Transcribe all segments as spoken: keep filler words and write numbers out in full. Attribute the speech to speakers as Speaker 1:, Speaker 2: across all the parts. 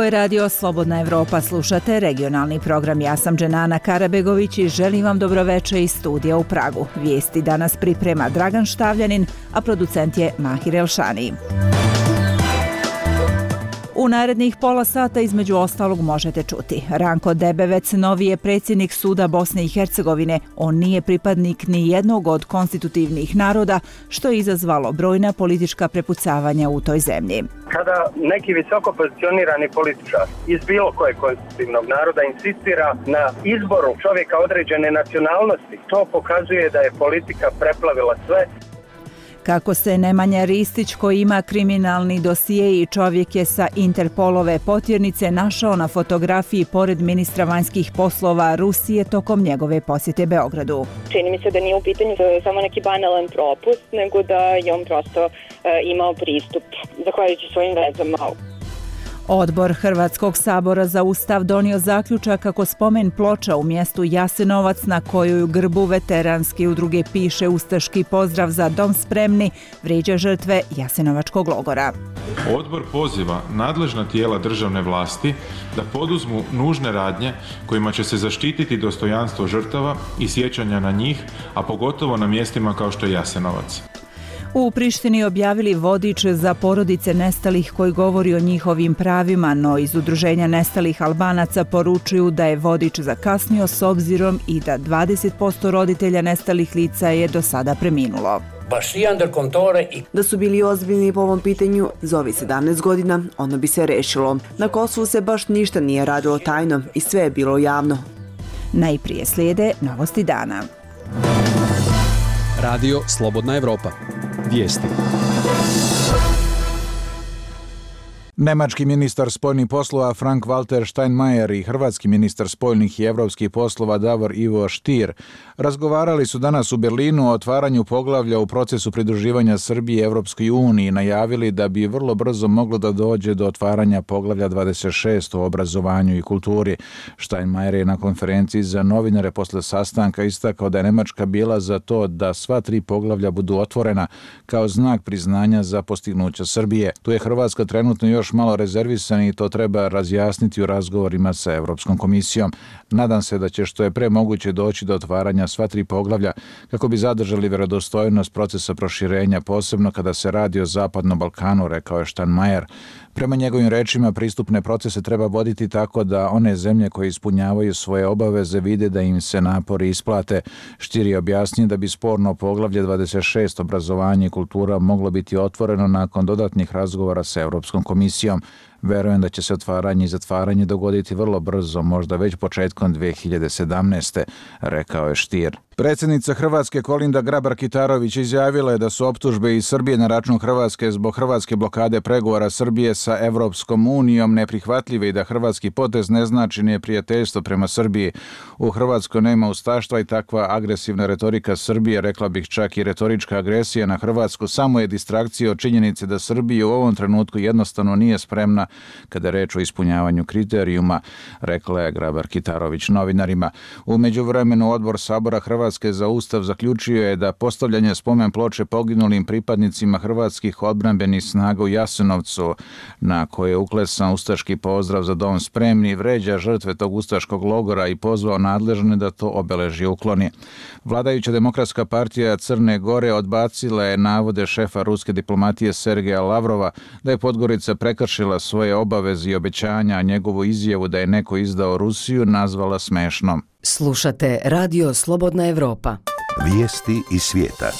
Speaker 1: je radio Slobodna Evropa, slušate regionalni program. Ja sam Dženana Karabegović i želim vam dobroveče iz studija u Pragu. Vijesti danas priprema Dragan Štavljanin, a producent je Mahir Elšani. U narednih pola sata između ostalog možete čuti. Ranko Debevec, novi je predsjednik suda Bosne i Hercegovine. On nije pripadnik ni jednog od konstitutivnih naroda, što je izazvalo brojna politička prepucavanja u toj zemlji.
Speaker 2: Kada neki visoko pozicionirani političar iz bilo kojeg konstitutivnog naroda insistira na izboru čovjeka određene nacionalnosti, to pokazuje da je politika preplavila sve.
Speaker 1: Kako se Nemanja Ristić, koji ima kriminalni dosije i čovjek je sa Interpolove potjernice, našao na fotografiji pored ministra vanjskih poslova Rusije tokom njegove posjete Beogradu.
Speaker 3: Čini mi se da nije u pitanju samo neki banalan propust, nego da je on prosto e, imao pristup, zahvaljujući svojim vezama.
Speaker 1: Odbor Hrvatskog sabora za Ustav donio zaključak kako spomen ploča u mjestu Jasenovac, na kojoj u grbu veteranske udruge piše ustaški pozdrav za dom spremni, vrijeđa žrtve Jasenovačkog logora.
Speaker 4: Odbor poziva nadležna tijela državne vlasti da poduzmu nužne radnje kojima će se zaštititi dostojanstvo žrtava i sjećanja na njih, a pogotovo na mjestima kao što je Jasenovac.
Speaker 1: U Prištini objavili vodič za porodice nestalih koji govori o njihovim pravima, no iz Udruženja nestalih Albanaca poručuju da je vodič zakasnio s obzirom i da dvadeset posto roditelja nestalih lica je do sada preminulo.
Speaker 5: Da su bili ozbiljni po ovom pitanju, za ovih sedamnaest godina ono bi se rešilo. Na Kosovu se baš ništa nije radilo tajno i sve je bilo javno.
Speaker 1: Najprije slijede novosti dana.
Speaker 6: Radio Slobodna Evropa. Vijesti.
Speaker 7: Nemački ministar spoljnih poslova Frank-Walter Steinmeier i hrvatski ministar spoljnih i evropskih poslova Davor Ivo Stier razgovarali su danas u Berlinu o otvaranju poglavlja u procesu pridruživanja Srbije Evropskoj uniji i najavili da bi vrlo brzo moglo da dođe do otvaranja poglavlja dvadeset šest o obrazovanju i kulturi. Steinmeier je na konferenciji za novinare posle sastanka istakao da je Nemačka bila za to da sva tri poglavlja budu otvorena kao znak priznanja za postignuća Srbije. Tu je Hrvatska trenutno još malo rezervisan i to treba razjasniti u razgovorima sa Evropskom komisijom. Nadam se da će što je pre moguće doći do otvaranja sva tri poglavlja kako bi zadržali vjerodostojnost procesa proširenja, posebno kada se radi o Zapadnom Balkanu, rekao je Steinmeier. Prema njegovim rečima, pristupne procese treba voditi tako da one zemlje koje ispunjavaju svoje obaveze vide da im se napori isplate. Stier je objasnio da bi sporno poglavlje dvadeset šest obrazovanje i kultura moglo biti otvoreno nakon dodatnih razgovora sa Evropskom komisijom. Verujem da će se otvaranje i zatvaranje dogoditi vrlo brzo, možda već početkom dve hiljade sedamnaeste. rekao je Stier. Predsjednica Hrvatske Kolinda Grabar-Kitarović izjavila je da su optužbe iz Srbije na račun Hrvatske zbog hrvatske blokade pregovora Srbije sa Evropskom unijom neprihvatljive i da hrvatski potez ne znači neprijateljstvo prema Srbiji. U Hrvatskoj nema ustaštva i takva agresivna retorika Srbije, rekla bih čak i retorička agresija na Hrvatsku, samo je distrakcija od činjenice da Srbija u ovom trenutku jednostavno nije spremna kada je reč o ispunjavanju kriterijuma, rekla je Grabar-Kitarović novinarima. U međuvremenu Odbor Sabora Hrvatske za Ustav zaključio je da postavljanje spomen ploče poginulim pripadnicima hrvatskih odbrambenih snaga u Jasenovcu, na koje je uklesan ustaški pozdrav za dom spremni, vređa žrtve tog ustaškog logora i pozvao nadležne da to obeležje ukloni. Vladajuća Demokratska partija Crne Gore odbacila je navode šefa ruske diplomatije Sergeja Lavrova da je Podgorica prekršila svoje obaveze i obećanja, a njegovu izjavu da je neko izdao Rusiju nazvala smešnom.
Speaker 8: Slušate Radio Slobodna Evropa.
Speaker 9: Vijesti iz svijeta.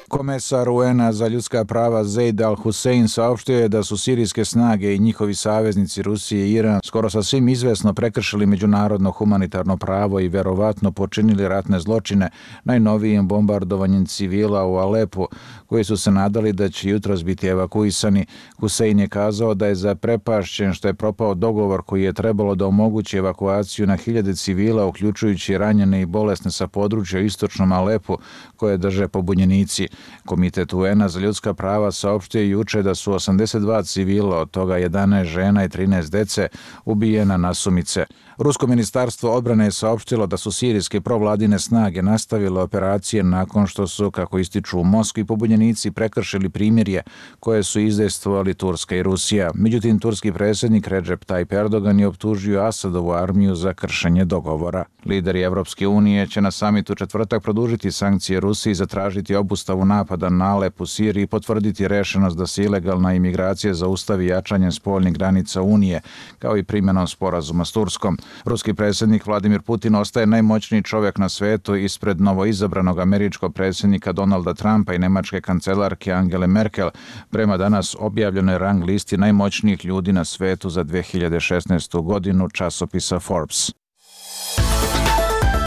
Speaker 7: Komesar U N-a za ljudska prava Zeid Al-Hussein saopštio je da su sirijske snage i njihovi saveznici Rusije i Iran skoro sasvim izvesno prekršili međunarodno humanitarno pravo i verovatno počinili ratne zločine najnovijim bombardovanjem civila u Alepu, koji su se nadali da će jutros biti evakuisani. Hussein je kazao da je zaprepašćen što je propao dogovor koji je trebalo da omogući evakuaciju na hiljade civila, uključujući ranjene i bolesne sa područja u istočnom Alepu koje drže pobunjenici. Komitet U N-a za ljudska prava saopštio juče da su osamdeset dva civila, od toga jedanaest žena i trinaest dece, ubijena nasumice. Rusko ministarstvo odbrane je saopštilo da su sirijske provladine snage nastavile operacije nakon što su, kako ističu u Moskvi, pobunjenici prekršili primirje koje su izdejstvovali Turska i Rusija. Međutim, turski predsjednik Recep Tayyip Erdogan je optužio Asadovu armiju za kršenje dogovora. Lideri Evropske unije će na samitu u četvrtak produžiti sankcije Rusiji, zatražiti obustavu napada na Alep u Siriji i potvrditi rešenost da se ilegalna imigracija zaustavi jačanjem spoljnih granica Unije, kao i primjenom sporazuma s Turskom. Ruski predsjednik Vladimir Putin ostaje najmoćniji čovjek na svetu ispred novoizabranog američkog predsjednika Donalda Trumpa i nemačke kancelarke Angele Merkel prema danas objavljenoj rang listi najmoćnijih ljudi na svetu za dve hiljade šesnaestu. godinu časopisa Forbes.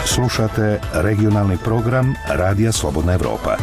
Speaker 9: Slušate regionalni program Radija Slobodna Evropa.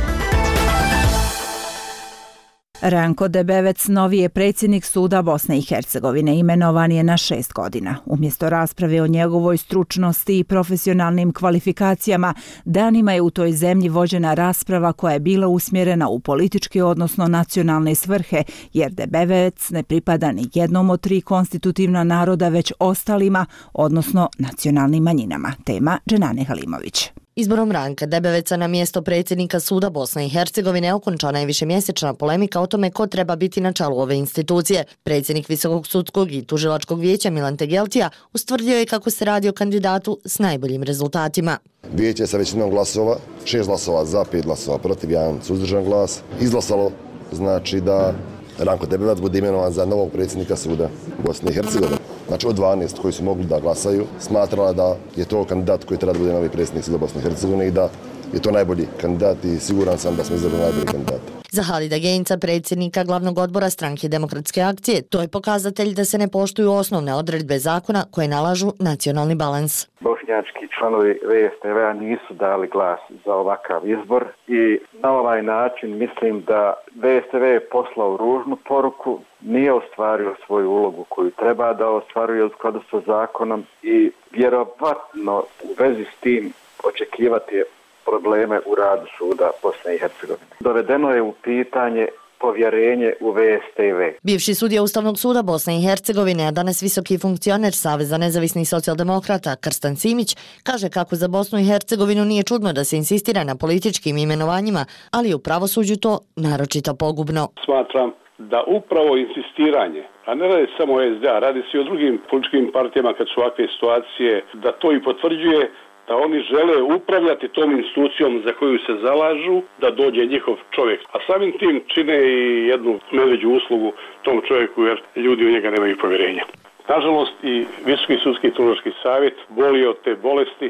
Speaker 1: Ranko Debevec, novi je predsjednik suda Bosne i Hercegovine, imenovan je na šest godina. Umjesto rasprave o njegovoj stručnosti i profesionalnim kvalifikacijama, danima je u toj zemlji vođena rasprava koja je bila usmjerena u političke, odnosno nacionalne svrhe, jer Debevec ne pripada ni jednom od tri konstitutivna naroda, već ostalima, odnosno nacionalnim manjinama. Tema Dženane Halimović.
Speaker 10: Izborom Ranka Debeveca na mjesto predsjednika suda Bosne i Hercegovine okončana je višemjesečna polemika o tome ko treba biti na čelu ove institucije. Predsjednik Visokog sudskog i tužilačkog vijeća Milan Tegeltija ustvrdio je kako se radi o kandidatu s najboljim rezultatima.
Speaker 11: Vijeće sa većinom glasova, šest glasova za, pet glasova protiv, jedan suzdržan glas, izglasalo znači da Ranko Debevac bude imenovan za novog predsjednika suda Bosne i Hercegovine. Znači od dvanaest koji su mogli da glasaju, smatrala da je to kandidat koji treba da bude novi predsjednik suda Bosne i Hercegovine i da je to najbolji kandidat i siguran sam da smo izabrali najbolji kandidat.
Speaker 10: Za Halida Genca, predsjednika glavnog odbora Stranke demokratske akcije, to je pokazatelj da se ne poštuju osnovne odredbe zakona koje nalažu nacionalni balans.
Speaker 12: Bošnjački članovi V S T V-a nisu dali glas za ovakav izbor i na ovaj način mislim da V S T V je poslao ružnu poruku, nije ostvario svoju ulogu koju treba da ostvaruje u skladu sa zakonom i vjerovatno u vezi s tim očekivati probleme u radu suda Bosne i Hercegovine. Dovedeno je u pitanje povjerenje u V S T V.
Speaker 10: Bivši sudija Ustavnog suda Bosne i Hercegovine, a danas visoki funkcioner Saveza nezavisnih socijaldemokrata Krstan Simić, kaže kako za Bosnu i Hercegovinu nije čudno da se insistira na političkim imenovanjima, ali u pravosuđu to naročito pogubno.
Speaker 13: Smatram da upravo insistiranje, a ne radi samo o S D A, radi se i o drugim političkim partijama kad su ovakve situacije, da to i potvrđuje da oni žele upravljati tom institucijom za koju se zalažu, da dođe njihov čovjek. A samim tim čine i jednu medveđu uslugu tom čovjeku jer ljudi u njega nemaju povjerenja. Nažalost i Visoki sudski tužilački savjet boli od te bolesti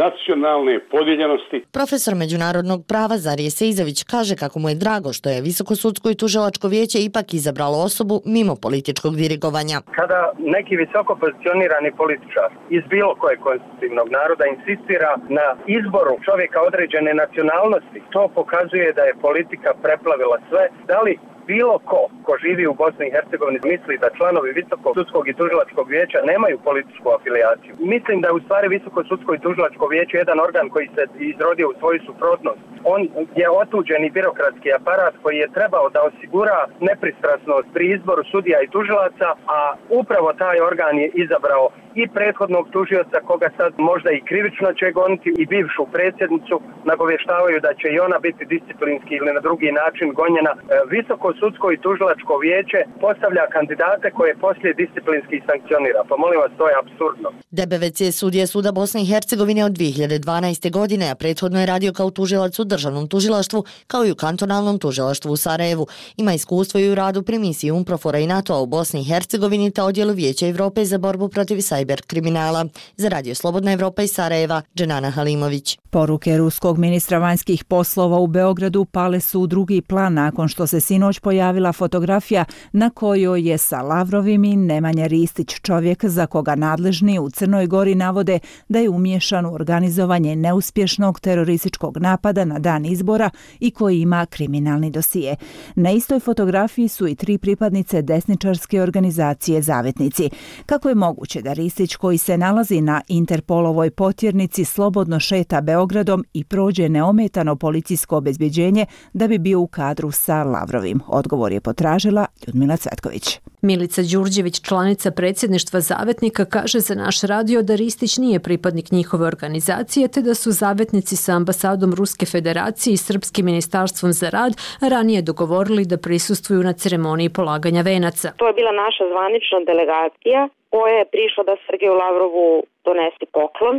Speaker 13: nacionalne podijeljenosti.
Speaker 10: Profesor međunarodnog prava Zarije Seizović kaže kako mu je drago što je Visoko sudsko i tužilačko vijeće ipak izabralo osobu mimo političkog dirigovanja.
Speaker 2: Kada neki visoko pozicionirani političar iz bilo kojeg konstitutivnog naroda insistira na izboru čovjeka određene nacionalnosti, to pokazuje da je politika preplavila sve. Da li bilo ko, ko živi u Bosni i Hercegovini misli da članovi Visokog sudskog i tužilačkog vijeća nemaju političku afilijaciju. Mislim da je u stvari Visoko sudsko i tužilačko vijeće jedan organ koji se izrodio u svoju suprotnost. On je otuđeni birokratski aparat koji je trebao da osigura nepristrasnost pri izboru sudija i tužilaca, a upravo taj organ je izabrao i prethodnog tužioca koga sad možda i krivično će goniti i bivšu predsjednicu, nagovještavaju da će i ona biti disciplinski ili na drugi način gonjena. Visoko sudsko i tužilačko vijeće postavlja kandidate koje poslije disciplinski sankcionira. Pa molim vas, to je apsurdno.
Speaker 10: Debevec je sudija suda Bosne i Hercegovine od dvije hiljade dvanaeste. godine, a prethodno je radio kao tužilac u državnom tužilaštvu, kao i u kantonalnom tužilaštvu u Sarajevu. Ima iskustvo i u radu pri misiji UNPROFOR-a i NATO-a u Bosni i Hercegovini te odjelu Vijeća Evrope za borbu protiv sajber kriminala. Za Radio Slobodna Evropa iz Sarajeva, Dženana Halimović.
Speaker 1: Poruke ruskog ministra vanjskih poslova u Beogradu pale su u drugi plan nakon što se sinoć pojavila fotografija na kojoj je sa Lavrovim i Nemanja Ristić, čovjek za koga nadležni u Crnoj Gori navode da je umiješan u organizovanje neuspješnog terorističkog napada na dan izbora i koji ima kriminalni dosije. Na istoj fotografiji su i tri pripadnice desničarske organizacije Zavetnici. Kako je moguće da Ristić Ristić, koji se nalazi na Interpolovoj potjernici, slobodno šeta Beogradom i prođe neometano policijsko obezbjeđenje da bi bio u kadru sa Lavrovim? Odgovor je potražila Ljudmila Cvetković.
Speaker 14: Milica Đurđević, članica predsjedništva Zavetnika, kaže za naš radio da Ristić nije pripadnik njihove organizacije, te da su zavetnici sa ambasadom Ruske federacije i Srpskim ministarstvom za rad ranije dogovorili da prisustvuju na ceremoniji polaganja venaca.
Speaker 15: To je bila naša zvanična delegacija koja je prišla da Sergeju Lavrovu donese poklon.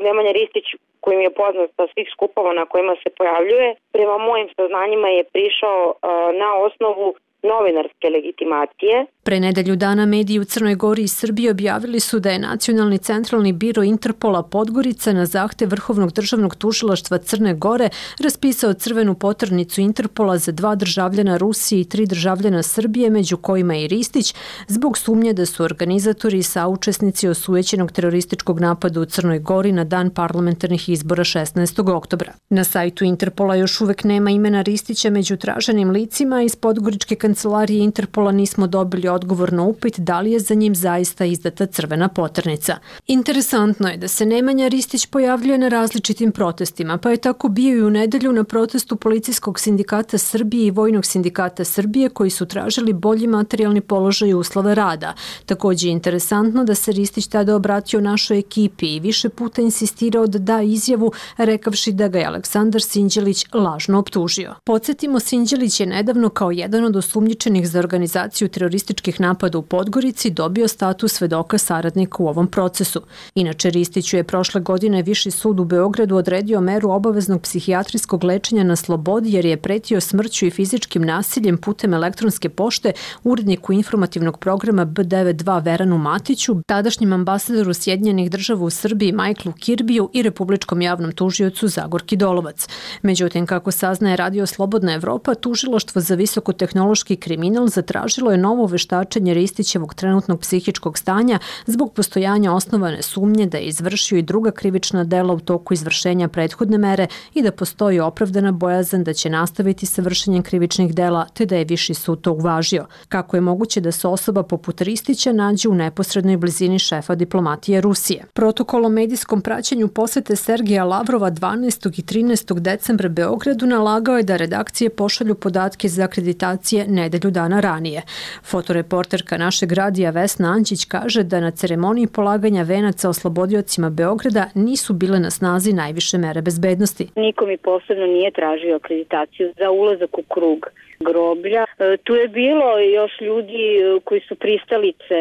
Speaker 15: Nemanja Ristić, kojim je poznat sa svih skupova na kojima se pojavljuje, prema mojim saznanjima je prišao uh, na osnovu novinarske legitimacije.
Speaker 14: Pre nedelju dana mediji u Crnoj Gori i Srbiji objavili su da je Nacionalni centralni biro Interpola Podgorica na zahtev Vrhovnog državnog tužilaštva Crne Gore raspisao crvenu poternicu Interpola za dva državljana Rusije i tri državljana Srbije, među kojima i Ristić, zbog sumnje da su organizatori i saučesnici osujećenog terorističkog napada u Crnoj Gori na dan parlamentarnih izbora šesnaestog oktobra. Na sajtu Interpola još uvek nema imena Ristića među traženim licima. Iz podgoričke kancelarije Interpola nismo dobili odgovor na upit da li je za njim zaista izdata crvena poternica. Interesantno je da se Nemanja Ristić pojavljuje na različitim protestima, pa je tako bio i u nedelju na protestu Policijskog sindikata Srbije i Vojnog sindikata Srbije, koji su tražili bolji materijalni položaj i uslove rada. Također je interesantno da se Ristić tada obratio našoj ekipi i više puta insistirao da da izjavu, rekavši da ga je Aleksandar Sinđelić lažno optužio. Podsjetimo, Sinđelić je nedavno kao jedan od osumnjičenih za organizaciju terorističkih napada u Podgorici dobio status svedoka saradnika u ovom procesu. Inače, Ristiću je prošle godine Viši sud u Beogradu odredio meru obaveznog psihijatrijskog lečenja na slobodi jer je pretio smrću i fizičkim nasiljem putem elektronske pošte uredniku informativnog programa B devedeset dva Veranu Matiću, tadašnjem ambasadoru Sjedinjenih država u Srbiji Michaelu Kirbiju i republičkom javnom tužiocu Zagorki Dolovac. Međutim, kako saznaje Radio Slobodna Evropa, tužilaštvo za visokotehnološki kriminal zatražilo je novo veštačenje Ristićevog trenutnog psihičkog stanja zbog postojanja osnovane sumnje da je izvršio i druga krivična dela u toku izvršenja prethodne mere i da postoji opravdana bojazan da će nastaviti sa vršenjem krivičnih dela, te da je Viši sud to uvažio. Kako je moguće da se osoba poput Ristića nađe u neposrednoj blizini šefa diplomatije Rusije? Protokol o medijskom praćenju posete Sergeja Lavrova dvanaestog i trinaestog decembra Beogradu nalagao je da redakcije pošalju podatke za akreditacije nedelju dana ranije. Fotoreporterka našeg radija Vesna Anđić kaže da na ceremoniji polaganja venaca oslobodiocima Beograda nisu bile na snazi najviše mere bezbednosti.
Speaker 15: Niko mi posebno nije tražio akreditaciju za ulazak u krug groblja. Tu je bilo još ljudi koji su pristalice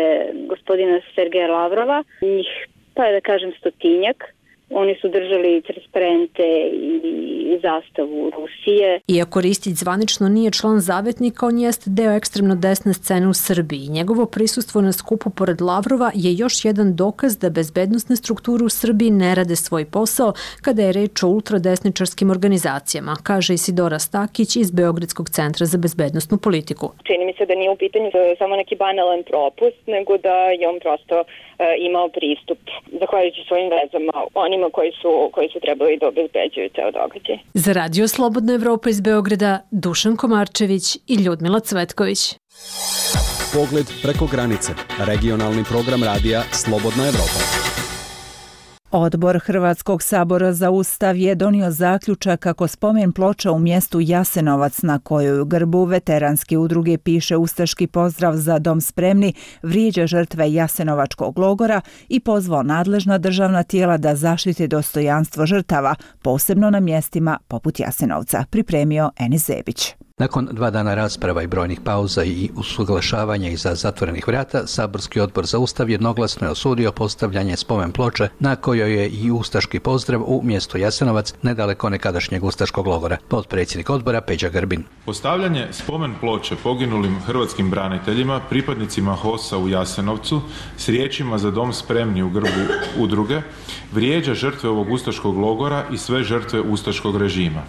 Speaker 15: gospodina Sergeja Lavrova, njih pa je da kažem stotinjak. Oni su držali transparente i zastavu Rusije.
Speaker 14: Iako Ristić zvanično nije član Zavetnika, on jeste deo ekstremno desne scene u Srbiji. Njegovo prisustvo na skupu pored Lavrova je još jedan dokaz da bezbednosne strukture u Srbiji ne rade svoj posao kada je reč o ultradesničarskim organizacijama, kaže Isidora Stakić iz Beogradskog centra za bezbednosnu politiku.
Speaker 3: Čini mi se da nije u pitanju samo neki banalan propust, nego da je on prosto e, imao pristup, zahvaljujući svojim vezama, onima koji su, koji su trebali da obezbeđuju ceo događaj.
Speaker 14: Za Radio Slobodna Evropa iz Beograda, Dušan Komarčević i Ljudmila Cvetković.
Speaker 6: Pogled preko granice. Regionalni program radija Slobodna Evropa.
Speaker 1: Odbor Hrvatskog sabora za Ustav je donio zaključak kako spomen ploča u mjestu Jasenovac, na kojoj u grbu veteranske udruge piše ustaški pozdrav za dom spremni, vrijeđa žrtve Jasenovačkog logora i pozvao nadležna državna tijela da zaštite dostojanstvo žrtava, posebno na mjestima poput Jasenovca, pripremio Enis Zebić.
Speaker 16: Nakon dva dana rasprava i brojnih pauza i usuglašavanja iza zatvorenih vrata, Saborski odbor za Ustav jednoglasno je osudio postavljanje spomen ploče na kojoj je i ustaški pozdrav u mjestu Jasenovac, nedaleko nekadašnjeg ustaškog logora. Potpredsjednik odbora Peđa Grbin.
Speaker 4: Postavljanje spomen ploče poginulim hrvatskim braniteljima, pripadnicima H O S-a u Jasenovcu, s riječima za dom spremni u grbu udruge, vrijeđa žrtve ovog ustaškog logora i sve žrtve ustaškog režima.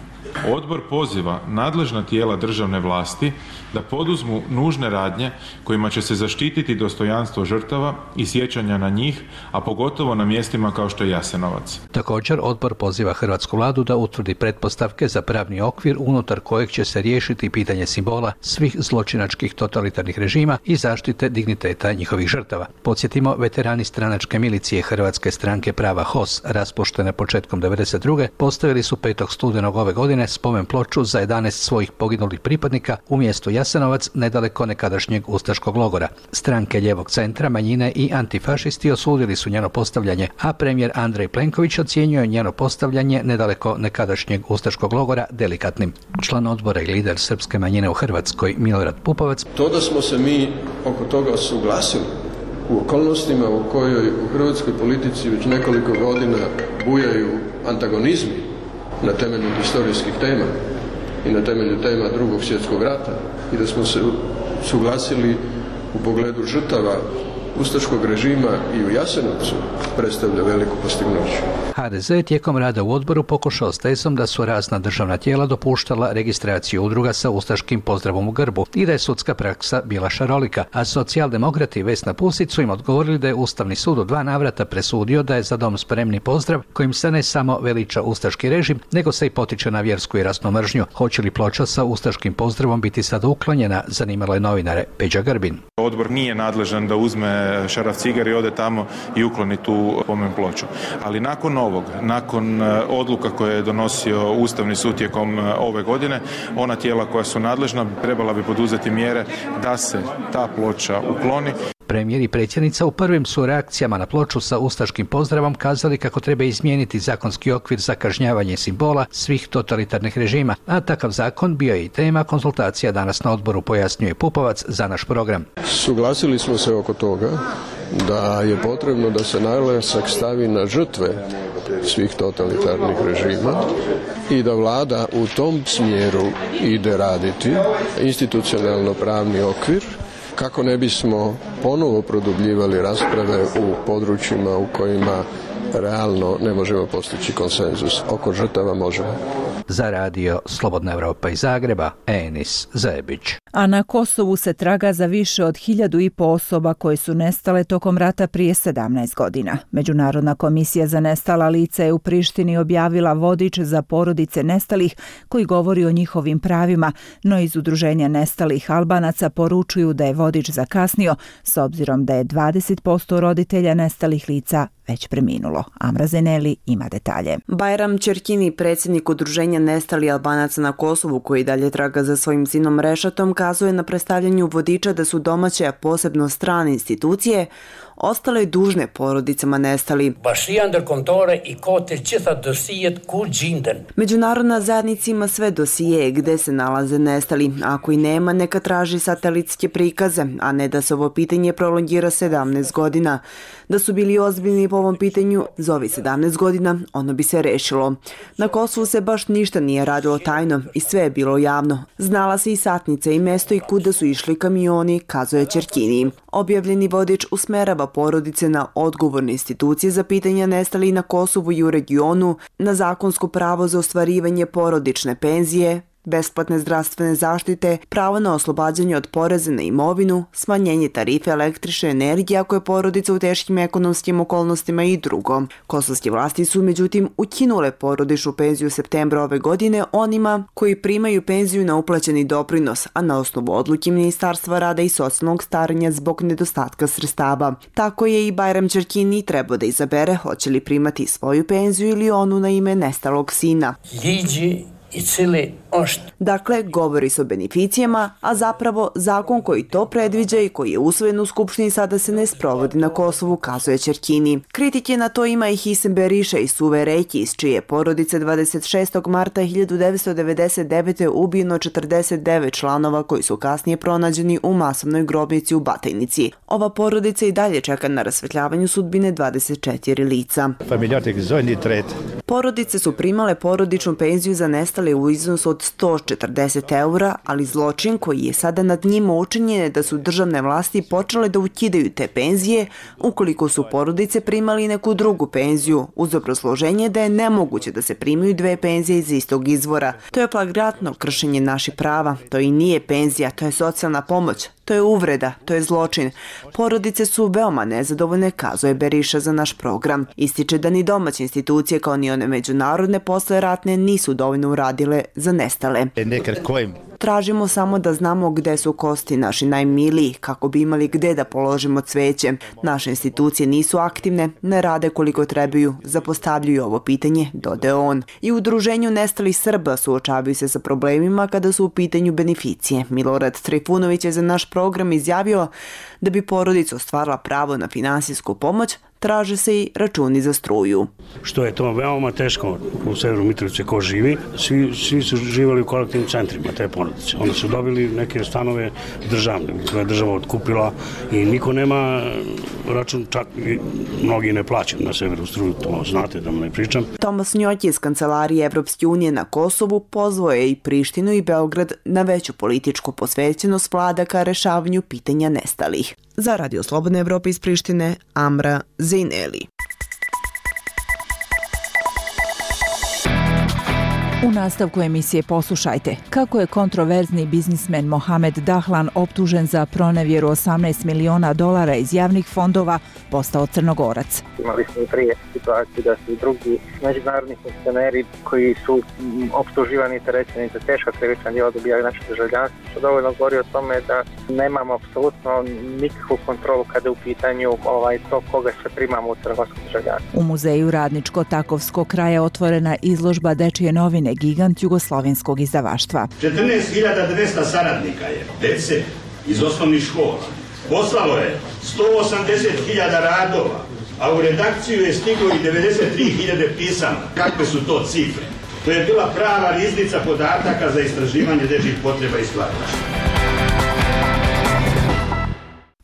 Speaker 4: Odbor poziva nadležna tijela državne vlasti da poduzmu nužne radnje kojima će se zaštititi dostojanstvo žrtava i sjećanja na njih, a pogotovo na mjestima kao što je Jasenovac.
Speaker 16: Također, odbor poziva hrvatsku vladu da utvrdi pretpostavke za pravni okvir unutar kojeg će se riješiti pitanje simbola svih zločinačkih totalitarnih režima i zaštite digniteta njihovih žrtava. Podsjetimo, veterani stranačke milicije Hrvatske stranke prava H O S, raspuštene početkom devedeset druge postavili su petog studenog ove godine spomen ploču za jedanaest svojih poginulih pripadnika u mjestu Jasenovac, nedaleko nekadašnjeg ustaškog logora. Stranke ljevog centra, manjine i antifašisti osudili su njeno postavljanje, a premijer Andrej Plenković ocjenjuje njeno postavljanje nedaleko nekadašnjeg ustaškog logora delikatnim. Član odbora i lider srpske manjine u Hrvatskoj Milorad Pupovac:
Speaker 17: To da smo se mi oko toga suglasili u okolnostima u kojoj u hrvatskoj politici već nekoliko godina bujaju antagonizmi na temelju historijskih tema i na temelju tema drugog svjetskog rata i da smo se suglasili u pogledu žrtava ustaškog režima i u Jasenovcu, predstavlja veliku postignuće.
Speaker 16: H D Z je tijekom rada u odboru pokušao s tezom da su razna državna tijela dopuštala registraciju udruga sa ustaškim pozdravom u grbu i da je sudska praksa bila šarolika, a socijaldemokrati Vesna Pusić su im odgovorili da je Ustavni sud u dva navrata presudio da je Za dom spremni pozdrav kojim se ne samo veliča ustaški režim, nego se i potiče na vjersku i rasnu mržnju. Hoće li ploča sa ustaškim pozdravom biti sada uklonjena, zanimalo je novinare Peđa Grbin.
Speaker 4: Odbor nije nadležan da uzme šaraf cigar i ode tamo i ukloni tu spomen ploču. Ali nakon ovog, nakon odluka koje je donosio Ustavni sud tijekom ove godine, ona tijela koja su nadležna trebala bi poduzeti mjere da se ta ploča ukloni.
Speaker 16: Premijer i predsjednica u prvim su reakcijama na ploču sa ustaškim pozdravom kazali kako treba izmijeniti zakonski okvir za kažnjavanje simbola svih totalitarnih režima, a takav zakon bio je i tema konzultacija danas na odboru, pojasnjuje Pupovac za naš program.
Speaker 17: Suglasili smo se oko toga da je potrebno da se naglasak stavi na žrtve svih totalitarnih režima i da vlada u tom smjeru ide raditi institucionalno pravni okvir kako ne bismo ponovo produbljivali rasprave u područjima u kojima realno ne možemo postići konsenzus. Oko žrtava možemo.
Speaker 16: Za radio Slobodna Evropa iz Zagreba, Enis Zebić.
Speaker 1: A na Kosovu se traga za više od hiljadu i po osoba koje su nestale tokom rata prije sedamnaest godina. Međunarodna komisija za nestala lica je u Prištini objavila vodič za porodice nestalih koji govori o njihovim pravima, no iz udruženja nestalih Albanaca poručuju da je vodič zakasnio, s obzirom da je dvadeset posto roditelja nestalih lica već preminulo. Amra Zeneli ima detalje.
Speaker 5: Bajram Čerkini, predsjednik udruženja nestali Albanaca na Kosovu, koji dalje traga za svojim sinom Rešatom, kazuje na predstavljanju vodiča da su domaće, a posebno strane institucije, ostale dužne porodicama nestali. Međunarodna zajednica ima sve dosije gde se nalaze nestali. Ako i nema, neka traži satelitske prikaze, a ne da se ovo pitanje prolongira sedamnaest godina. Da su bili ozbiljni po ovom pitanju, za ovih sedamnaest godina ono bi se rešilo. Na Kosovu se baš ništa nije radilo tajno i sve je bilo javno. Znala se i satnica i mesto i kuda su išli kamioni, kazuje Čerkini. Objavljeni vodič usmerava porodice na odgovorne institucije za pitanja nestalih na Kosovu i u regionu, na zakonsko pravo za ostvarivanje porodične penzije, besplatne zdravstvene zaštite, pravo na oslobađanje od poreza na imovinu, smanjenje tarife električne energije ako je porodica u teškim ekonomskim okolnostima i drugo. Kosovske vlasti su međutim ukinule porodičnu penziju u septembra ove godine onima koji primaju penziju na uplaćeni doprinos, a na osnovu odluke Ministarstva rada i socijalnog staranja zbog nedostatka sredstava. Tako je i Bajram Čerkini trebao da izabere hoće li primati svoju penziju ili onu na ime nestalog sina.
Speaker 18: Liđi i cili ošt.
Speaker 5: Dakle, govori se o beneficijama, a zapravo zakon koji to predviđa i koji je usvojen u Skupštini sada se ne sprovodi na Kosovu, kazuje Čerkini. Kritike na to ima i Hisem Beriša iz Suve Reki, iz čije porodice dvadeset šestog marta hiljadu devetsto devedeset devete ubijeno četrdeset devet članova koji su kasnije pronađeni u masovnoj grobnici u Batajnici. Ova porodica i dalje čeka na rasvetljavanju sudbine dvadeset četiri lica. Porodice su primale porodičnu penziju za nestale nestali u iznosu od sto četrdeset eura, ali zločin koji je sada nad njima učinjen je da su državne vlasti počele da ukidaju te penzije ukoliko su porodice primali neku drugu penziju, uz obrazloženje da je nemoguće da se primaju dve penzije iz istog izvora. To je flagrantno kršenje naših prava. To i nije penzija, to je socijalna pomoć. To je uvreda, to je zločin. Porodice su veoma nezadovoljne, kazuje Beriša za naš program. Ističe da ni domaće institucije kao ni one međunarodne posle ratne nisu dovoljno uradile za nestale. Tražimo samo da znamo gde su kosti naši najmiliji, kako bi imali gde da položimo cveće. Naše institucije nisu aktivne, ne rade koliko trebaju, zapostavljaju ovo pitanje, dodaje on. I u udruženju nestalih Srba suočavaju se sa problemima kada su u pitanju beneficije. Milorad Trifunović je za naš program izjavio da bi porodica ostvarila pravo na finansijsku pomoć, traže se i računi za struju.
Speaker 19: Što je to veoma teško u Severu Mitrovice ko živi, svi, svi su živjeli u kolektivnim centrima te porodice. Onda su dobili neke stanove državne, koje je država otkupila i niko nema račun, čak i mnogi ne plaćaju na Severu struju, to znate da mu ne pričam.
Speaker 5: Tomas Njoć iz Kancelarije Evropske unije na Kosovu pozvao je i Prištinu i Beograd na veću političku posvećenost vlada ka rešavanju pitanja nestalih. Za Radio Slobodne Evrope iz Prištine, Amra Zejneli.
Speaker 1: U nastavku emisije poslušajte kako je kontroverzni biznismen Mohamed Dahlan optužen za pronevjeru osamnaest miliona dolara iz javnih fondova postao Crnogorac.
Speaker 20: Imali smo i prije situaciju da su i drugi međunarodni funkcioneri koji su optuživani i terećeni za teška krivična djela dobijali naše državljanstvo, što dovoljno govori o tome da nemamo apsolutno nikakvu kontrolu kada je u pitanju ovaj, to koga sve primamo u crnogorsko državljanstvo.
Speaker 1: U muzeju Radničko-Takovskog kraja otvorena izložba Dečije novine, gigant jugoslovenskog izdavaštva.
Speaker 21: četrnaest hiljada dvesta saradnika je, dece iz osnovnih škola. Poslalo je sto osamdeset hiljada radova, a u redakciju je stiglo i devedeset tri hiljade pisama. Kakve su to cifre? To je bila prava riznica podataka za istraživanje dečjih potreba i stvaralaštva.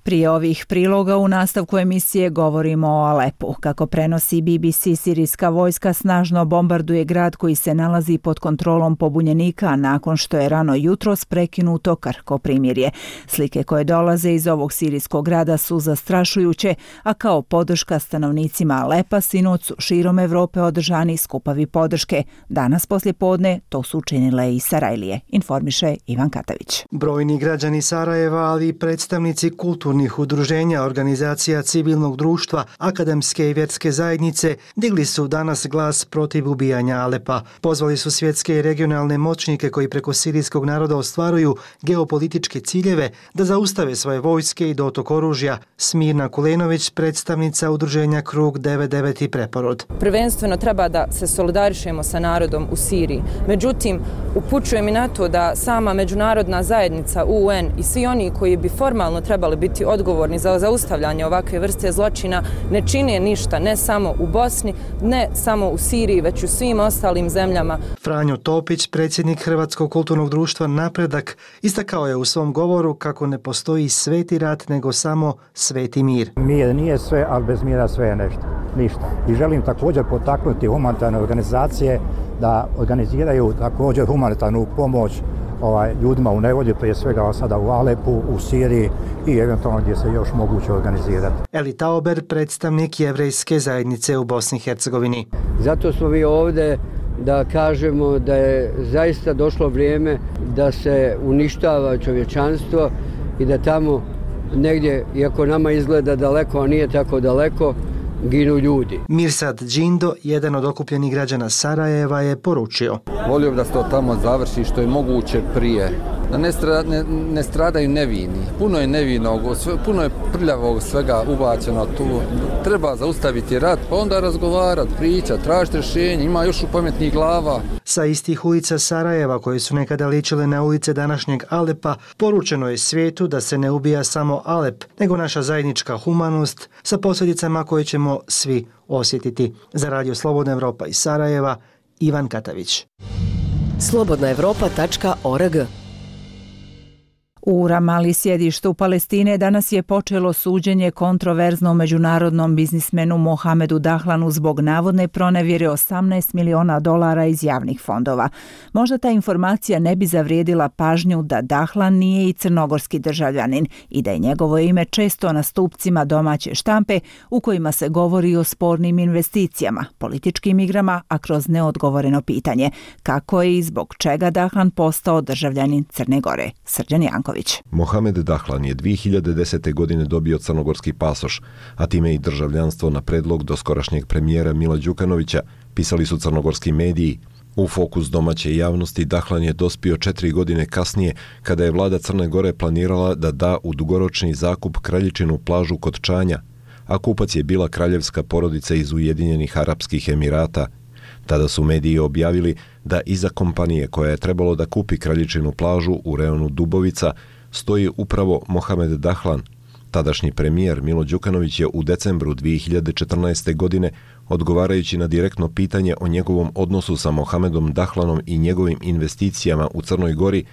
Speaker 1: Prije ovih priloga u nastavku emisije govorimo o Alepu. Kako prenosi B B C, sirijska vojska snažno bombarduje grad koji se nalazi pod kontrolom pobunjenika nakon što je rano jutros prekinuto krhko primirje. Slike koje dolaze iz ovog sirijskog grada su zastrašujuće, a kao podrška stanovnicima Alepa sinoć su širom Evrope održani skupovi podrške. Danas poslje podne to su učinile i Sarajlije, informiše Ivan Katavić.
Speaker 22: Brojni građani Sarajeva, ali i predstavnici kulturnih udruženja, organizacija civilnog društva, akademske i vjerske zajednice digli su danas glas protiv ubijanja Alepa. Pozvali su svjetske i regionalne moćnike koji preko sirijskog naroda ostvaruju geopolitičke ciljeve da zaustave svoje vojske i dotok oružja. Smirna Kulenović, predstavnica udruženja Krug devedeset devet i Preporod.
Speaker 23: Prvenstveno treba da se solidarišemo sa narodom u Siriji. Međutim, upućujem i na to da sama međunarodna zajednica U N i svi oni koji bi formalno trebali biti odgovorni za zaustavljanje ovakve vrste zločina ne čine ništa, ne samo u Bosni, ne samo u Siriji, već u svim ostalim zemljama.
Speaker 22: Franjo Topić, predsjednik Hrvatskog kulturnog društva Napredak, istakao je u svom govoru kako ne postoji sveti rat, nego samo sveti mir.
Speaker 24: Mir nije sve, ali bez mira sve je nešto, ništa. I želim također potaknuti humanitarne organizacije da organiziraju također humanitarnu pomoć ovaj, ljudima u nevolji, prije svega sada u Alepu, u Siriji i eventualno gdje se još moguće organizirati.
Speaker 22: Eli Tauber, predstavnik jevrejske zajednice u Bosni i Hercegovini.
Speaker 25: Zato smo vi ovdje da kažemo da je zaista došlo vrijeme da se uništava čovječanstvo i da tamo negdje, iako nama izgleda daleko, a nije tako daleko, ginu ljudi.
Speaker 22: Mirsad Džindo, jedan od okupljenih građana Sarajeva, je poručio:
Speaker 26: volio da se to tamo završi što je moguće prije. Da ne, stra, ne, ne stradaju nevini. Puno je nevinog, puno je prljavog svega ubačeno tu. Treba zaustaviti rat, pa onda razgovarati, pričati, tražiti rješenje. Ima još u pametnih glava.
Speaker 22: Sa istih ulica Sarajeva, koje su nekada ličile na ulice današnjeg Alepa, poručeno je svijetu da se ne ubija samo Alep, nego naša zajednička humanost sa posljedicama koje ćemo svi osjetiti. Za Radio Slobodna Evropa iz Sarajeva, Ivan Katavić.
Speaker 8: slobodna evropa tačka org
Speaker 1: U Ramali, sjedištu Palestine, danas je počelo suđenje kontroverznom međunarodnom biznismenu Mohamedu Dahlanu zbog navodne pronevjere osamnaest miliona dolara iz javnih fondova. Možda ta informacija ne bi zavrijedila pažnju da Dahlan nije i crnogorski državljanin i da je njegovo ime često na stupcima domaće štampe u kojima se govori o spornim investicijama, političkim igrama, a kroz neodgovoreno pitanje kako je i zbog čega Dahlan postao državljanin Crne Gore. Srđan Janković.
Speaker 2: Mohamed Dahlan je dvije hiljade desete. godine dobio crnogorski pasoš, a time i državljanstvo na predlog doskorašnjeg premijera Mila Đukanovića, pisali su crnogorski mediji. U fokus domaće javnosti Dahlan je dospio četiri godine kasnije, kada je vlada Crne Gore planirala da da u dugoročni zakup kraljičinu plažu kod Čanja, a kupac je bila kraljevska porodica iz Ujedinjenih Arapskih Emirata. Tada su mediji objavili da iza kompanije koja je trebalo da kupi kraljičinu plažu u reonu Dubovica stoji upravo Mohamed Dahlan. Tadašnji premijer Milo Đukanović je u decembru dvije hiljade četrnaeste. godine, odgovarajući na direktno pitanje o njegovom odnosu sa Mohamedom Dahlanom i njegovim investicijama u Crnoj Gori,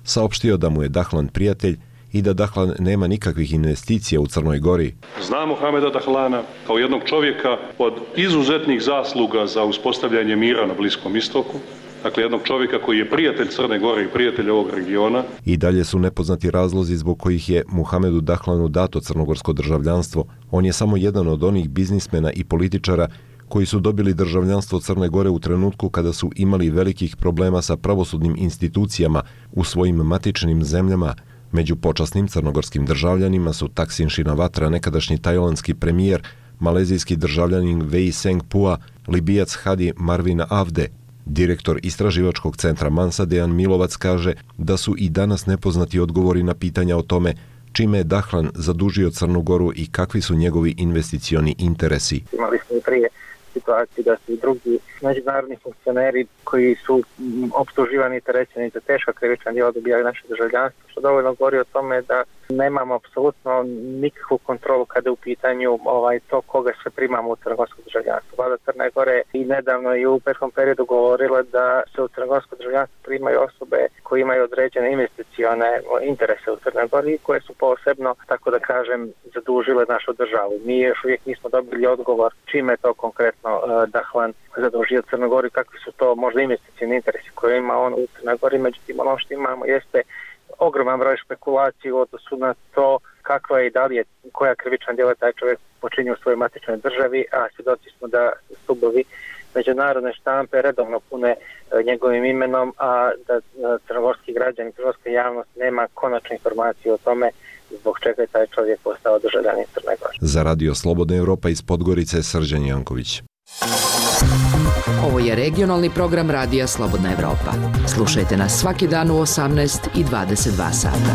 Speaker 2: saopštio da mu je Dahlan prijatelj i da Dahlan nema nikakvih investicija u Crnoj Gori.
Speaker 7: Znam Mohameda Dahlana kao jednog čovjeka od izuzetnih zasluga za uspostavljanje mira na Bliskom istoku, dakle jednog čovjeka koji je prijatelj Crne Gore i prijatelj ovog regiona.
Speaker 2: I dalje su nepoznati razlozi zbog kojih je Mohamedu Dahlanu dato crnogorsko državljanstvo. On je samo jedan od onih biznismena i političara koji su dobili državljanstvo Crne Gore u trenutku kada su imali velikih problema sa pravosudnim institucijama u svojim matičnim zemljama. Među počasnim crnogorskim državljanima su Taksin Shinawatra, nekadašnji tajlandski premijer, malezijski državljanin Wei Seng-pua, Libijac Hadi Marvin Avde. Direktor istraživačkog centra Mansa Dejan Milovac kaže da su i danas nepoznati odgovori na pitanja o tome čime je Dahlan zadužio Crnu Goru i kakvi su njegovi investicioni interesi.
Speaker 20: Imali smo i prije situaciju da su i drugi međunarodni funkcioneri koji su optuživani i terećeni za teška krivična djela dobijali naše državljanstvo, što dovoljno govori o tome da nemamo apsolutno nikakvu kontrolu kada je u pitanju ovaj, to koga sve primamo u crnogorsko državljanstvo. Vlada Crne Gore i nedavno i u prethodnom periodu govorila da se u crnogorsko državljanstvo primaju osobe koji imaju određene investicione interese u Crnoj Gori koje su posebno, tako da kažem, zadužile našu državu. Mi još uvijek nismo dobili odgovor čime je to konkretno uh, Dahlan zadužio Crnoj Gori, kakvi su to možda investicioni interesi koje ima on u Crnoj Gori. Međutim, ono što imamo jeste ogroman broj špekulacije u odnosu na to kakva je i da li je koja krivična djela taj čovjek počinio u svojoj matičnoj državi, a svjedoci smo da stubovi međunarodne štampe redovno pune njegovim imenom, a da crnogorski građani, crnogorska javnost nema konačne informacije o tome zbog čega je taj čovjek postao državljanin Crne Gore.
Speaker 2: Za Radio Slobodna Evropa iz Podgorice, Srđan Janković.
Speaker 8: Ovo je regionalni program Radija Slobodna Evropa. Slušajte nas svaki dan u osamnaest i dvadeset dva sata.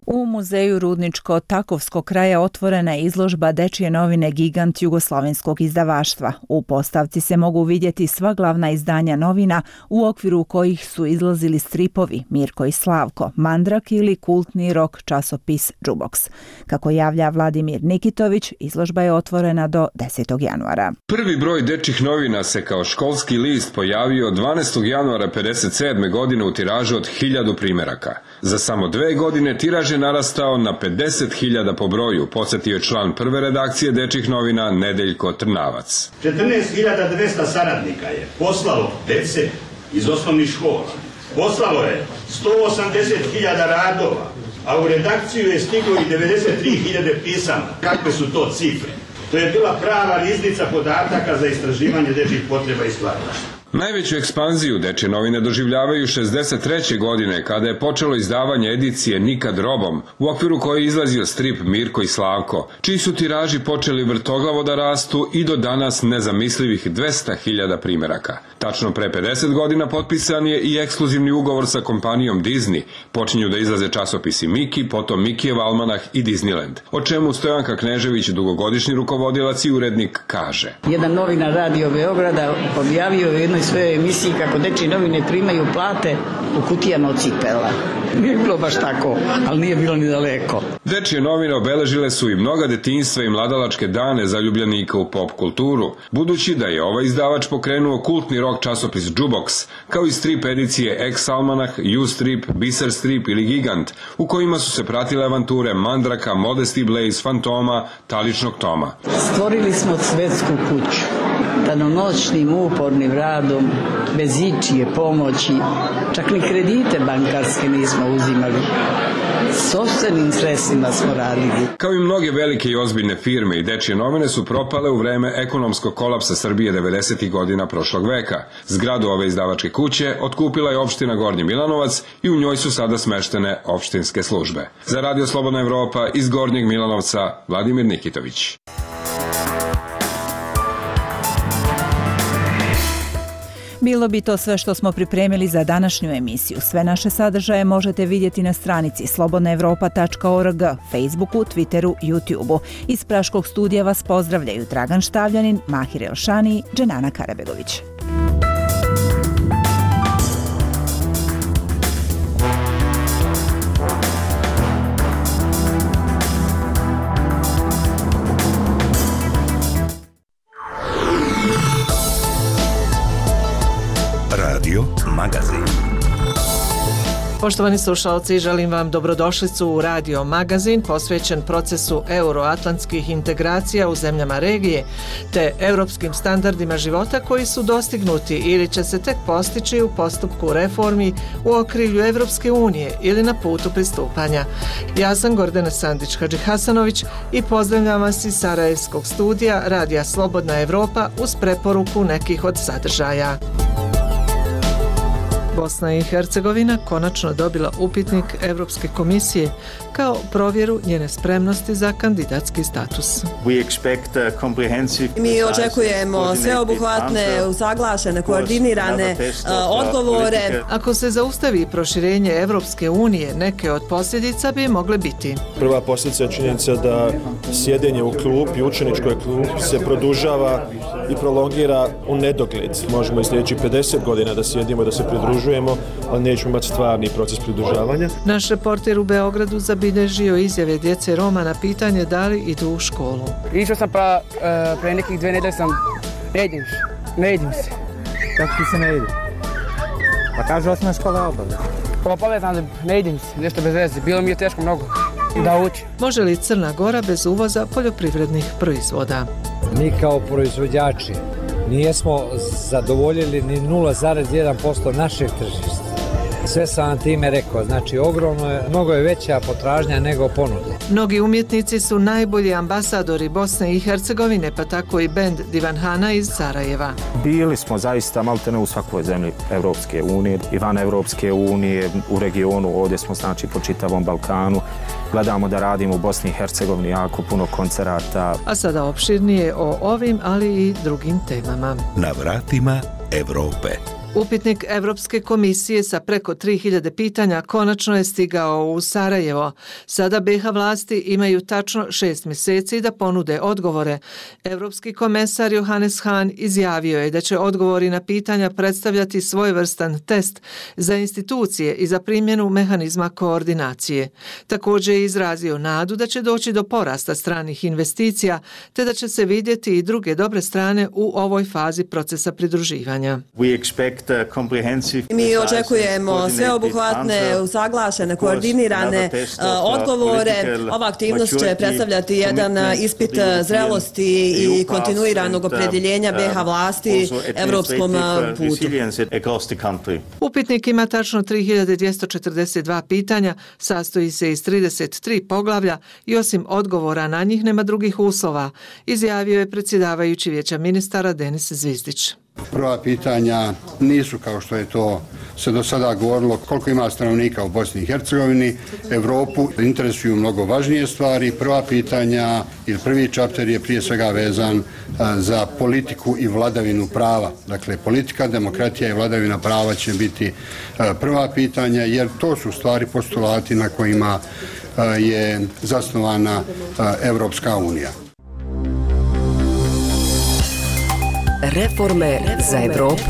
Speaker 1: U muzeju Rudničko-Takovskog kraja otvorena je izložba Dečije novine Gigant jugoslovenskog izdavaštva. U postavci se mogu vidjeti sva glavna izdanja novina u okviru kojih su izlazili stripovi Mirko i Slavko, Mandrak ili kultni rok časopis Džuboks. Kako javlja Vladimir Nikitović, izložba je otvorena do desetog januara.
Speaker 9: Prvi broj dečjih novina se kao školski list pojavio dvanaestog januara pedeset sedme. godine u tiražu od hiljadu primjeraka. Za samo dve godine tiraž je narastao na pedeset hiljada po broju, podsjetio je član prve redakcije dečjih novina Nedeljko Trnavac.
Speaker 21: četrnaest hiljada dvesta saradnika je poslalo dece iz osnovnih škola. Poslalo je sto osamdeset hiljada radova, a u redakciju je stiglo i devedeset tri hiljade pisama. Kakve su to cifre? To je bila prava riznica podataka za istraživanje dečjih potreba i stvaralaštva.
Speaker 9: Najveću ekspanziju dečje novine doživljavaju šezdeset treće. godine, kada je počelo izdavanje edicije Nikad robom, u okviru koje je izlazio strip Mirko i Slavko, čiji su tiraži počeli vrtoglavo da rastu i do danas nezamislivih dvesta hiljada primjeraka. Tačno pre pedeset godina potpisan je i ekskluzivni ugovor sa kompanijom Disney. Počinju da izlaze časopisi Miki, potom Mikijev almanah i Disneyland, o čemu Stojanka Knežević, dugogodišnji rukovodilac i urednik, kaže.
Speaker 11: Jedan novinar Radio Beograda objavio u jednoj
Speaker 3: u svojoj emisiji kako dečije novine primaju plate u kutijama od cipela. Nije bilo baš tako, ali nije bilo ni daleko.
Speaker 9: Dečije novine obeležile su i mnoga detinjstva i mladalačke dane zaljubljenika u pop kulturu, budući da je ovaj izdavač pokrenuo kultni rock časopis Jukebox, kao i strip edicije X-Almanah, U-Strip, Biser Strip ili Gigant, u kojima su se pratile avanture Mandraka, Modesty Blaze, Fantoma, Taličnog Toma.
Speaker 3: Stvorili smo svetsku kuću. Danonoćnim upornim radom, bez ičije pomoći, čak ni kredite bankarske nismo uzimali. Sopstvenim sredstvima smo radili.
Speaker 9: Kao i mnoge velike i ozbiljne firme, i dečije novine su propale u vreme ekonomskog kolapsa Srbije devedesetih godina prošlog veka. Zgradu ove izdavačke kuće otkupila je opština Gornji Milanovac i u njoj su sada smeštene opštinske službe. Za Radio Slobodna Evropa iz Gornjeg Milanovca, Vladimir Nikitović.
Speaker 1: Bilo bi to sve što smo pripremili za današnju emisiju. Sve naše sadržaje možete vidjeti na stranici slobodna evropa tačka org, Facebooku, Twitteru, YouTubeu. Iz Praškog studija vas pozdravljaju Dragan Štavljanin, Mahir Elšani i Dženana Karabegović.
Speaker 10: Radio Magazin.
Speaker 11: Poštovani slušalci, želim vam dobrodošlicu u Radio Magazin posvećen procesu euroatlantskih integracija u zemljama regije te europskim standardima života koji su dostignuti ili će se tek postići u postupku reformi u okrilju Evropske unije ili na putu pristupanja. Ja sam Gordana Sandić-Hadžihasanović i pozdravljam vas iz Sarajevskog studija Radija Slobodna Evropa uz preporuku nekih od sadržaja. Bosna i Hercegovina konačno dobila upitnik Evropske komisije kao provjeru njene spremnosti za kandidatski status.
Speaker 12: Mi očekujemo sveobuhvatne, usaglašene, koordinirane odgovore.
Speaker 11: Ako se zaustavi proširenje Evropske unije, neke od posljedica bi mogle biti.
Speaker 13: Prva posljedica je činjenica da sjedenje u klupi, učeničkoj klupi se produžava i prolongira u nedogled. Možemo i sljedećih pedeset godina da sjedimo, da se pridružujemo, ali nećemo imati stvarni proces pridružavanja.
Speaker 11: Naš reporter u Beogradu zabilježio izjave djece Roma na pitanje da li idu u školu.
Speaker 15: Išao sam pa uh, pre nekih dve nedelje sam, ne idim se, ne idim se.
Speaker 27: Kako ti se ne ide? Pa kaže osnovna škola obaveza.
Speaker 15: Obavezan, ne idim se, nešto bez veze, bilo mi je teško mnogo da učim.
Speaker 11: Može li Crna Gora bez uvoza poljoprivrednih proizvoda?
Speaker 27: Mi kao proizvođači nijesmo zadovoljili ni nula zarez jedan posto našeg tržišta. Sve sam vam time rekao, znači ogromno je, mnogo je veća potražnja nego ponude.
Speaker 11: Mnogi umjetnici su najbolji ambasadori Bosne i Hercegovine, pa tako i bend Divanhana iz Sarajeva.
Speaker 27: Bili smo zaista maltene u svakoj zemlji Evropske unije, i van Evropske unije, u regionu, ovdje smo znači po čitavom Balkanu. Gledamo da radimo u Bosni i Hercegovini jako puno koncerata.
Speaker 11: A sada opširnije o ovim, ali i drugim temama.
Speaker 10: Na vratima Evrope.
Speaker 11: Upitnik Evropske komisije sa preko tri hiljade pitanja konačno je stigao u Sarajevo. Sada be ha vlasti imaju tačno šest mjeseci da ponude odgovore. Evropski komesar Johannes Hahn izjavio je da će odgovori na pitanja predstavljati svojevrstan test za institucije i za primjenu mehanizma koordinacije. Također je izrazio nadu da će doći do porasta stranih investicija te da će se vidjeti i druge dobre strane u ovoj fazi procesa pridruživanja.
Speaker 12: Mi očekujemo sveobuhvatne, usaglašene, koordinirane odgovore. Ova aktivnost će predstavljati jedan ispit zrelosti i kontinuiranog opredjeljenja be ha vlasti evropskom putu.
Speaker 11: Upitnik ima tačno tri hiljade dvjesto četrdeset dva pitanja, sastoji se iz trideset tri poglavlja i osim odgovora na njih nema drugih uslova, izjavio je predsjedavajući Vijeća ministara Denis Zvizdić.
Speaker 28: Prva pitanja nisu kao što je to se do sada govorilo koliko ima stanovnika u Bosni i Hercegovini. Evropu interesuju mnogo važnije stvari. Prva pitanja ili prvi čapter je prije svega vezan za politiku i vladavinu prava. Dakle, politika, demokratija i vladavina prava će biti prva pitanja jer to su stvari postulati na kojima je zasnovana Evropska unija.
Speaker 8: Reforme za Evropu.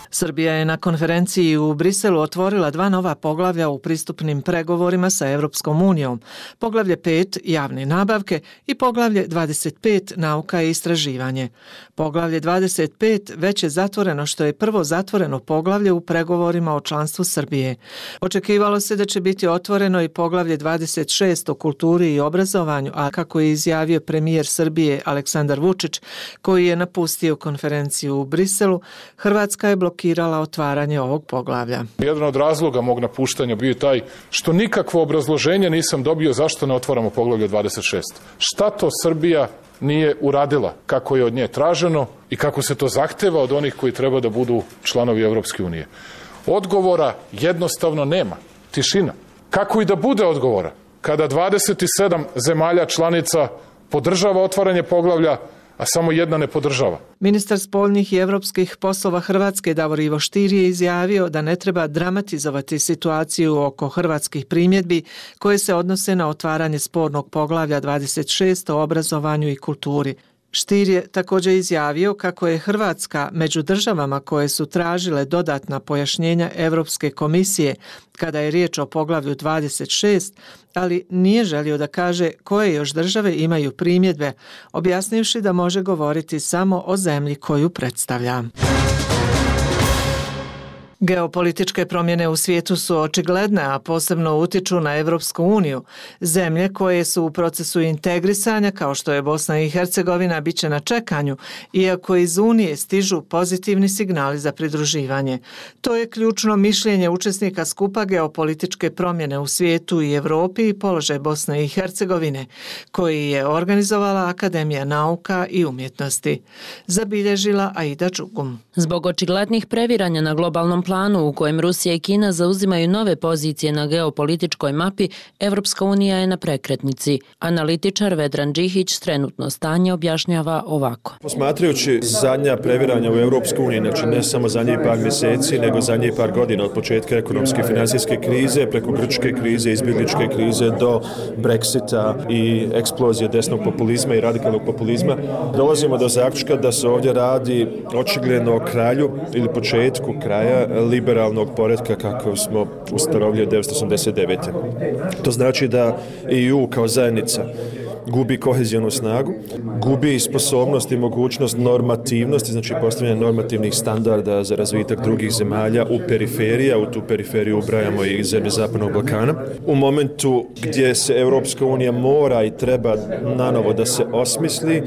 Speaker 11: Srbija je na konferenciji u Briselu otvorila dva nova poglavlja u pristupnim pregovorima sa Evropskom unijom. Poglavlje pet javne nabavke i poglavlje dvadeset pet nauka i istraživanje. Poglavlje dvadeset pet već je zatvoreno, što je prvo zatvoreno poglavlje u pregovorima o članstvu Srbije. Očekivalo se da će biti otvoreno i poglavlje dvadeset šest o kulturi i obrazovanju, a kako je izjavio premijer Srbije Aleksandar Vučić, koji je napustio konferenciju u Briselu, Hrvatska je blokirala otvaranje ovog poglavlja.
Speaker 4: Jedan od razloga mog napuštanja bio taj što nikakvo obrazloženje nisam dobio zašto ne otvaramo poglavlje dvadeset šest. Šta to Srbija nije uradila kako je od nje traženo i kako se to zahteva od onih koji treba da budu članovi Evropske unije. Odgovora jednostavno nema. Tišina. Kako i da bude odgovora kada dvadeset sedam zemalja članica podržava otvaranje poglavlja, a samo jedna ne podržava.
Speaker 11: Ministar spoljnih i evropskih poslova Hrvatske Davor Ivo Stier je izjavio da ne treba dramatizovati situaciju oko hrvatskih primjedbi koje se odnose na otvaranje spornog poglavlja dvadeset šest o obrazovanju i kulturi. Stier je također izjavio kako je Hrvatska među državama koje su tražile dodatna pojašnjenja Europske komisije kada je riječ o poglavlju dvadeset šest, ali nije želio da kaže koje još države imaju primjedbe, objasnivši da može govoriti samo o zemlji koju predstavlja. Geopolitičke promjene u svijetu su očigledne, a posebno utiču na Evropsku uniju. Zemlje koje su u procesu integrisanja, kao što je Bosna i Hercegovina, bit će na čekanju, iako iz Unije stižu pozitivni signali za pridruživanje. To je ključno mišljenje učesnika skupa Geopolitičke promjene u svijetu i Evropi i položaj Bosne i Hercegovine, koji je organizovala Akademija nauka i umjetnosti. Zabilježila Aida Đugum.
Speaker 5: Zbog očiglednih previranja na globalnom planu u kojem Rusija i Kina zauzimaju nove pozicije na geopolitičkoj mapi, Evropska unija je na prekretnici. Analitičar Vedran Đihić trenutno stanje objašnjava ovako.
Speaker 13: Posmatrajući zadnja previranja u Evropskoj uniji, znači ne samo zadnjih par mjeseci, nego zadnjih par godina od početka ekonomske i financijske krize, preko grčke krize, izbjegličke krize do Brexita i eksplozije desnog populizma i radikalnog populizma, dolazimo do zaključka da se ovdje radi očigledno o kralju ili početku kraja liberalnog poretka kako smo ustanovili devetsto osamdeset devete. To znači da E U kao zajednica gubi kohezijonu snagu, gubi sposobnost i mogućnost normativnosti, znači postavljanje normativnih standarda za razvitak drugih zemalja u periferiji, a u tu periferiju ubrajamo i zemlje Zapadnog Balkana. U momentu gdje se Europska unija mora i treba nanovo da se osmisli,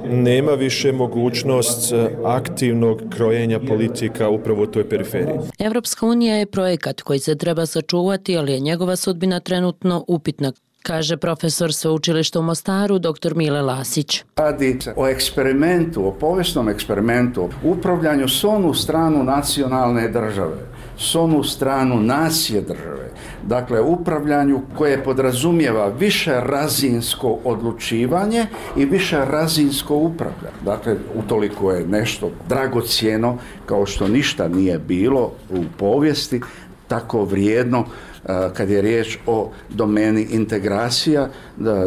Speaker 13: nema više mogućnost aktivnog krojenja politika upravo u toj periferiji.
Speaker 5: Evropska unija je projekat koji se treba sačuvati, ali je njegova sudbina trenutno upitna, kaže profesor sveučilišta u Mostaru dr. Mile Lasić.
Speaker 6: Radi se o eksperimentu, o povijesnom eksperimentu, upravljanju s onu stranu nacionalne države, s onu stranu nacije države. Dakle, upravljanju koje podrazumijeva više razinsko odlučivanje i više razinsko upravljanje. Dakle, utoliko je nešto dragocjeno kao što ništa nije bilo u povijesti, tako vrijedno kad je riječ o domeni integracija,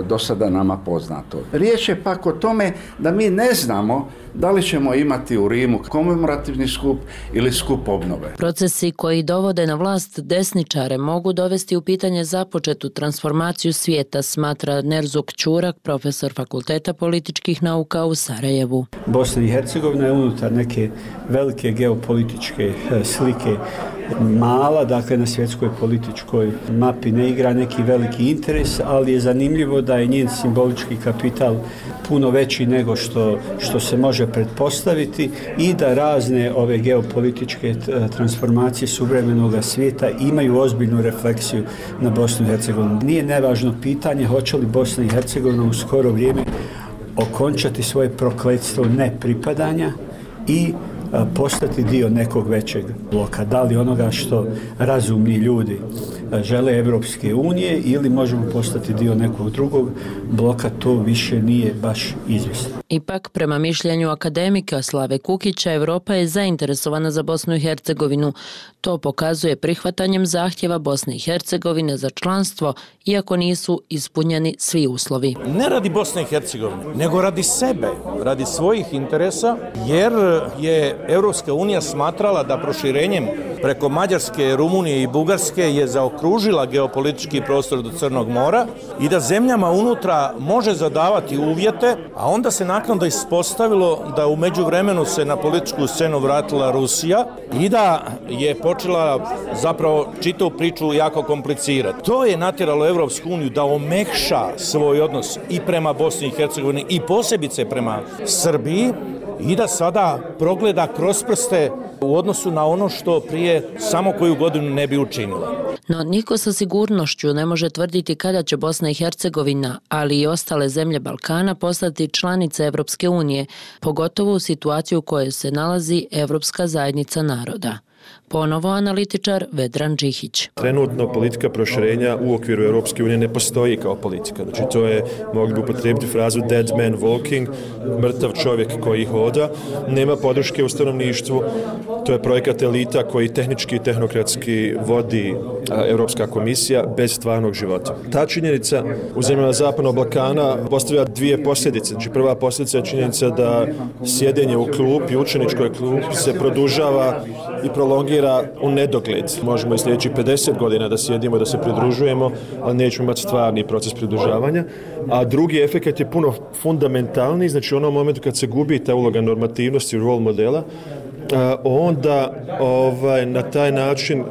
Speaker 6: do sada nama poznato. Riječ je pak o tome da mi ne znamo da li ćemo imati u Rimu komemorativni skup ili skup obnove.
Speaker 5: Procesi koji dovode na vlast desničare mogu dovesti u pitanje započetu transformaciju svijeta, smatra Nerzuk Ćurak, profesor Fakulteta političkih nauka u Sarajevu.
Speaker 14: Bosna i Hercegovina je unutar neke velike geopolitičke slike mala, dakle na svjetskoj političkoj mapi ne igra neki veliki interes, ali je zanimljivo da je njen simbolički kapital puno veći nego što, što se može pretpostaviti i da razne ove geopolitičke transformacije suvremenog svijeta imaju ozbiljnu refleksiju na Bosnu i Hercegovinu. Nije nevažno pitanje hoće li Bosna i Hercegovina u skoro vrijeme okončati svoje prokletstvo nepripadanja i postati dio nekog većeg bloka. Da li onoga što razumni ljudi žele Evropske unije ili možemo postati dio nekog drugog bloka, to više nije baš izvjesno.
Speaker 5: Ipak, prema mišljenju akademika Slave Kukića, Evropa je zainteresovana za Bosnu i Hercegovinu. To pokazuje prihvatanjem zahtjeva Bosne i Hercegovine za članstvo, iako nisu ispunjeni svi uslovi.
Speaker 16: Ne radi Bosne i Hercegovine, nego radi sebe, radi svojih interesa, jer je Evropska unija smatrala da proširenjem preko Mađarske, Rumunije i Bugarske je zaokružila geopolitički prostor do Crnog mora i da zemljama unutra može zadavati uvjete, a onda se naknadno ispostavilo da u međuvremenu se na političku scenu vratila Rusija i da je počela zapravo čitavu priču jako komplicirati. To je natjeralo Evropsku uniju da omekša svoj odnos i prema Bosni i Hercegovini i posebice prema Srbiji i da sada progleda kroz prste u odnosu na ono što prije samo koju godinu ne bi učinila.
Speaker 5: No niko sa sigurnošću ne može tvrditi kada će Bosna i Hercegovina, ali i ostale zemlje Balkana postati članice Evropske unije, pogotovo u situaciju u kojoj se nalazi Evropska zajednica naroda. Ponovo analitičar Vedran Džihić.
Speaker 13: Trenutno politika proširenja u okviru Europske unije ne postoji kao politika. Znači to je, mogli bi upotrijebiti frazu dead man walking, mrtav čovjek koji hoda, nema podrške u stanovništvu, to je projekat elita koji tehnički i tehnokratski vodi Europska komisija bez stvarnog života. Ta činjenica u zemljama Zapadnog Balkana postavlja dvije posljedice. Znači prva posljedica je činjenica da sjedenje u klupi, učeničkoj klupi se produžava i prolongira u nedogled. Možemo i sljedećih pedeset godina da sjedimo, da se pridružujemo, ali nećemo imati stvarni proces pridružavanja. A drugi efekt je puno fundamentalni, znači u onom momentu kad se gubi ta uloga normativnosti, role modela, onda ovaj, na taj način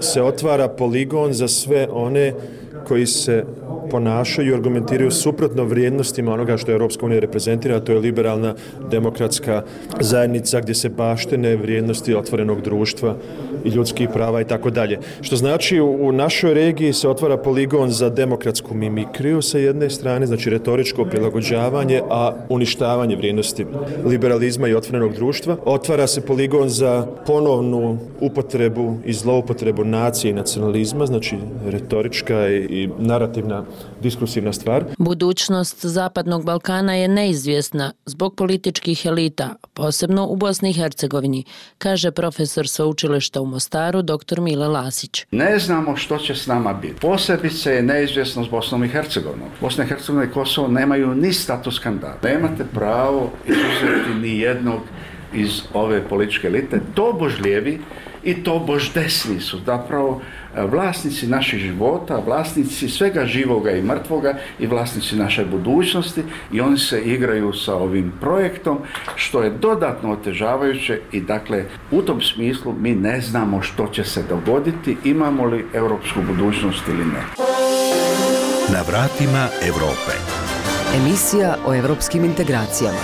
Speaker 13: se otvara poligon za sve one koji se ponašaju i argumentiraju suprotno vrijednostima onoga što je Europska unija reprezentira, a to je liberalna demokratska zajednica gdje se baštine vrijednosti otvorenog društva i ljudskih prava i tako dalje. Što znači u našoj regiji se otvara poligon za demokratsku mimikriju sa jedne strane, znači retoričko prilagođavanje, a uništavanje vrijednosti liberalizma i otvorenog društva. Otvara se poligon za ponovnu upotrebu i zloupotrebu nacije i nacionalizma, znači retorička i narativna diskursivna stvar.
Speaker 5: Budućnost Zapadnog Balkana je neizvjesna zbog političkih elita, posebno u Bosni i Hercegovini, kaže profesor sveučilišta u Mostaru dr. Mile Lasić.
Speaker 6: Ne znamo što će s nama biti. Posebice je neizvjesno s Bosnom i Hercegovinom. Bosna i Hercegovina i Kosovo nemaju ni status kandidata. Nemate pravo izuzeti ni jednog iz ove političke elite. Tobož lijevi i tobož desni su zapravo vlasnici naših života, vlasnici svega živoga i mrtvoga i vlasnici naše budućnosti i oni se igraju sa ovim projektom što je dodatno otežavajuće i dakle u tom smislu mi ne znamo što će se dogoditi, imamo li europsku budućnost ili ne.
Speaker 10: Na vratima Evrope.
Speaker 8: Emisija o evropskim integracijama.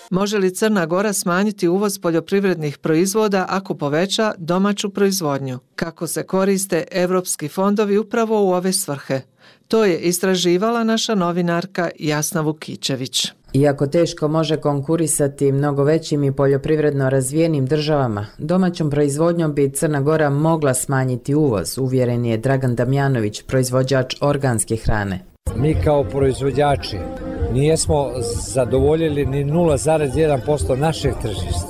Speaker 11: Može li Crna Gora smanjiti uvoz poljoprivrednih proizvoda ako poveća domaću proizvodnju? Kako se koriste evropski fondovi upravo u ove svrhe? To je istraživala naša novinarka Jasna Vukićević.
Speaker 17: Iako teško može konkurisati mnogo većim i poljoprivredno razvijenim državama, domaćom proizvodnjom bi Crna Gora mogla smanjiti uvoz, uvjeren je Dragan Damjanović, proizvođač organske hrane.
Speaker 27: Mi kao proizvođači nijesmo zadovoljili ni nula zarez jedan posto našeg tržišta.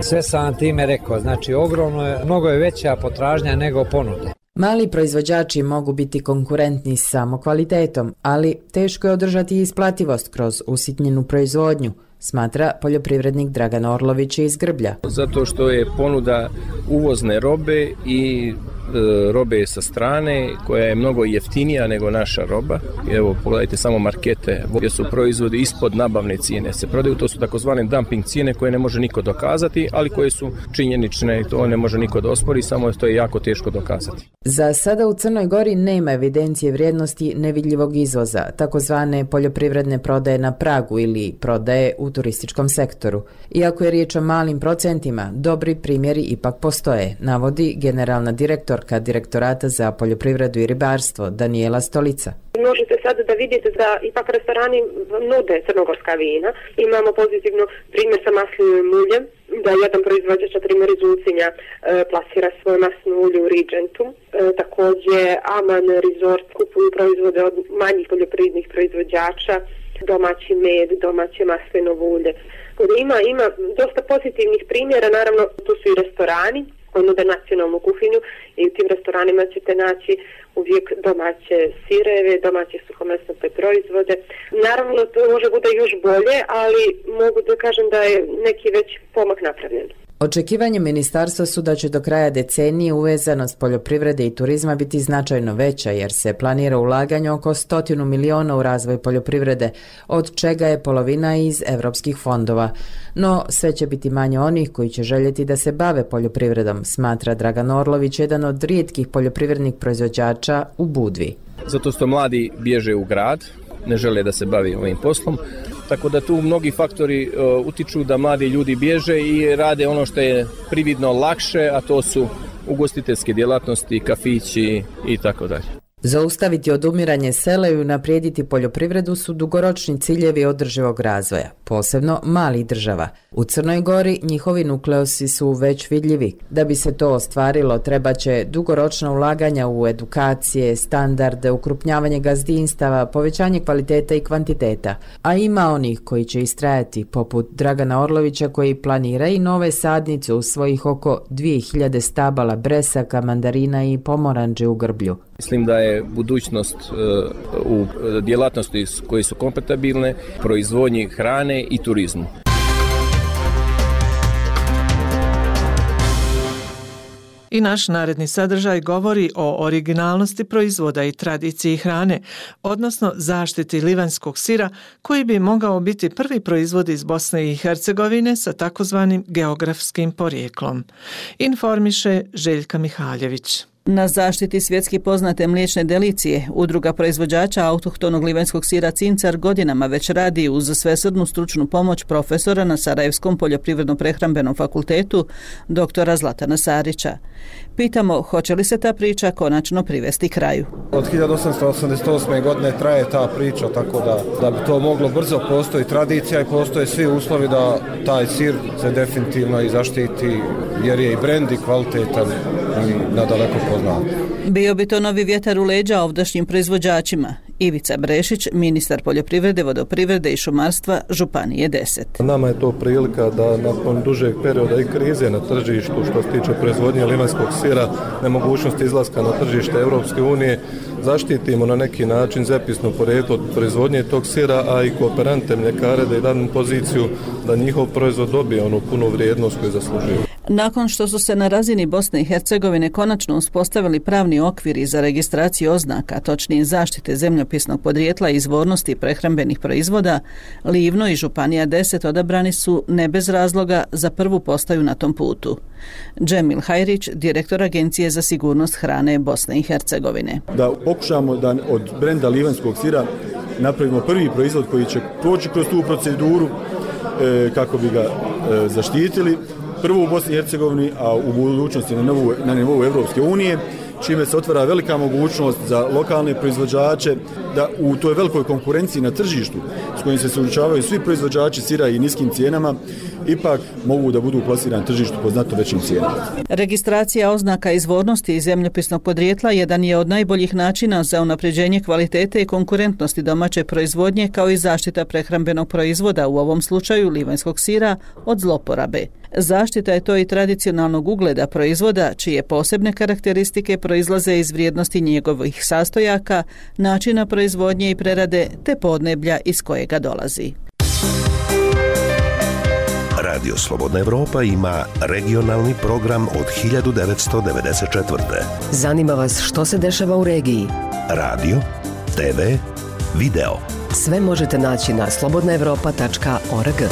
Speaker 27: Sve sam vam time rekao, znači ogromno je, mnogo je veća potražnja nego ponude.
Speaker 17: Mali proizvođači mogu biti konkurentni samo kvalitetom, ali teško je održati isplativost kroz usitnjenu proizvodnju, smatra poljoprivrednik Dragan Orlović iz Grblja.
Speaker 18: Zato što je ponuda uvozne robe i e, robe sa strane koja je mnogo jeftinija nego naša roba. Evo, pogledajte samo markete gdje su proizvodi ispod nabavne cijene se prodaju. To su takozvane dumping cijene koje ne može niko dokazati, ali koje su činjenične i to ne može niko da ospori, samo to je jako teško dokazati.
Speaker 17: Za sada u Crnoj Gori nema evidencije vrijednosti nevidljivog izvoza, takozvane poljoprivredne prodaje na pragu ili prodaje u turističkom sektoru. Iako je riječ o malim procentima, dobri primjeri ipak postoje, navodi generalna direktorka Direktorata za poljoprivredu i ribarstvo Danijela Stolica.
Speaker 19: Možete sada da vidite da ipak restorani nude crnogorska vina. Imamo pozitivno primjer sa maslinovim uljem. da jedan proizvođač, na primjer iz Ulcinja, plasira svoje masno ulje u Regentu. Također Aman Resort kupuju proizvode od manjih poljoprivrednih proizvođača, domaći med, domaće maslinovo ulje. Ima, ima dosta pozitivnih primjera, naravno tu su i restorani koji nude nacionalnu kuhinju i u tim restoranima ćete naći uvijek domaće sireve, domaće suhomesnate proizvode. Naravno to može bude još bolje, ali mogu da kažem da je neki već pomak napravljen.
Speaker 17: Očekivanje ministarstva su da će do kraja decenije uvezanost poljoprivrede i turizma biti značajno veća jer se planira ulaganje oko stotinu miliona u razvoj poljoprivrede, od čega je polovina iz evropskih fondova. No, sve će biti manje onih koji će željeti da se bave poljoprivredom, smatra Dragan Orlović, jedan od rijetkih poljoprivrednih proizvođača u Budvi.
Speaker 18: Zato što mladi bježe u grad, ne žele da se bavi ovim poslom. Tako da tu mnogi faktori uh, utiču da mladi ljudi bježe i rade ono što je prividno lakše, a to su ugostiteljske djelatnosti, kafići i tako dalje.
Speaker 17: Zaustaviti odumiranje sela i unaprijediti poljoprivredu su dugoročni ciljevi održivog razvoja, posebno malih država. U Crnoj Gori njihovi nukleosi su već vidljivi. Da bi se to ostvarilo, treba će dugoročna ulaganja u edukacije, standarde, ukrupnjavanje gazdinstava, povećanje kvaliteta i kvantiteta. A ima onih koji će istrajati, poput Dragana Orlovića koji planira i nove sadnice u svojih oko dvije hiljade stabala bresaka, mandarina i pomoranđe u Grblju.
Speaker 18: Mislim da je budućnost uh, u djelatnosti koje su kompatibilne, proizvodnji hrane i turizmu.
Speaker 11: I naš naredni sadržaj govori o originalnosti proizvoda i tradiciji hrane, odnosno zaštiti livanjskog sira koji bi mogao biti prvi proizvod iz Bosne i Hercegovine sa takozvanim geografskim porijeklom. Informiše Željka Mihaljević.
Speaker 2: Na zaštiti svjetski poznate mliječne delicije, udruga proizvođača autohtonog livanjskog sira Cincar godinama već radi uz svesrdnu stručnu pomoć profesora na Sarajevskom poljoprivredno-prehrambenom fakultetu, doktora Zlatana Sarića. Pitamo, hoće li se ta priča konačno privesti kraju?
Speaker 7: Od hiljadu osamsto osamdeset osme. godine traje ta priča, tako da, da bi to moglo brzo, postoji tradicija i postoje svi uslovi da taj sir se definitivno i zaštiti, jer je i brend i kvalitetan i nadaleko poznat.
Speaker 2: Bio bi to novi vjetar u leđa ovdašnjim proizvođačima. Ivica Brešić, ministar poljoprivrede, vodoprivrede i šumarstva Županije deset.
Speaker 7: Nama je to prilika da nakon dužeg perioda i krize na tržištu što se tiče proizvodnje livanjskog sira, nemogućnosti izlaska na tržište Europske unije, zaštitimo na neki način zemljopisno porijeklo od proizvodnje tog sira, a i kooperante mljekare da i danu poziciju da njihov proizvod dobije onu punu vrijednost koju zaslužuju.
Speaker 2: Nakon što su se na razini Bosne i Hercegovine konačno uspostavili pravni okviri za registraciju oznaka, točnije zaštite zemljopisnog podrijetla i izvornosti prehrambenih proizvoda, Livno i Županija deset odabrani su ne bez razloga za prvu postaju na tom putu. Džemil Hajrić, direktor Agencije za sigurnost hrane Bosne i Hercegovine.
Speaker 20: Da pokušamo da od brenda livanjskog sira napravimo prvi proizvod koji će proći kroz tu proceduru e, kako bi ga e, zaštitili. Prvo u Bosni i Hercegovini, a u budućnosti na nivou, na nivou Evropske unije, čime se otvara velika mogućnost za lokalne proizvođače da u toj velikoj konkurenciji na tržištu s kojim se suočavaju svi proizvođači sira i niskim cijenama, ipak mogu da budu plasirani na tržištu po znatno većim cijenama.
Speaker 2: Registracija oznaka izvornosti i zemljopisnog podrijetla jedan je od najboljih načina za unapređenje kvalitete i konkurentnosti domaće proizvodnje kao i zaštita prehrambenog proizvoda, u ovom slučaju livanjskog sira, od zloporabe. Zaštita je to i tradicionalnog ugleda proizvoda, čije posebne karakteristike proizlaze iz vrijednosti njegovih sastojaka, načina proizvodnje i prerade te podneblja iz kojega dolazi.
Speaker 10: Radio Slobodna Evropa ima regionalni program od hiljadu devetsto devedeset četvrte.
Speaker 22: Zanima vas što se dešava u regiji?
Speaker 10: Radio, te ve, video.
Speaker 22: Sve možete naći na slobodna evropa tačka org.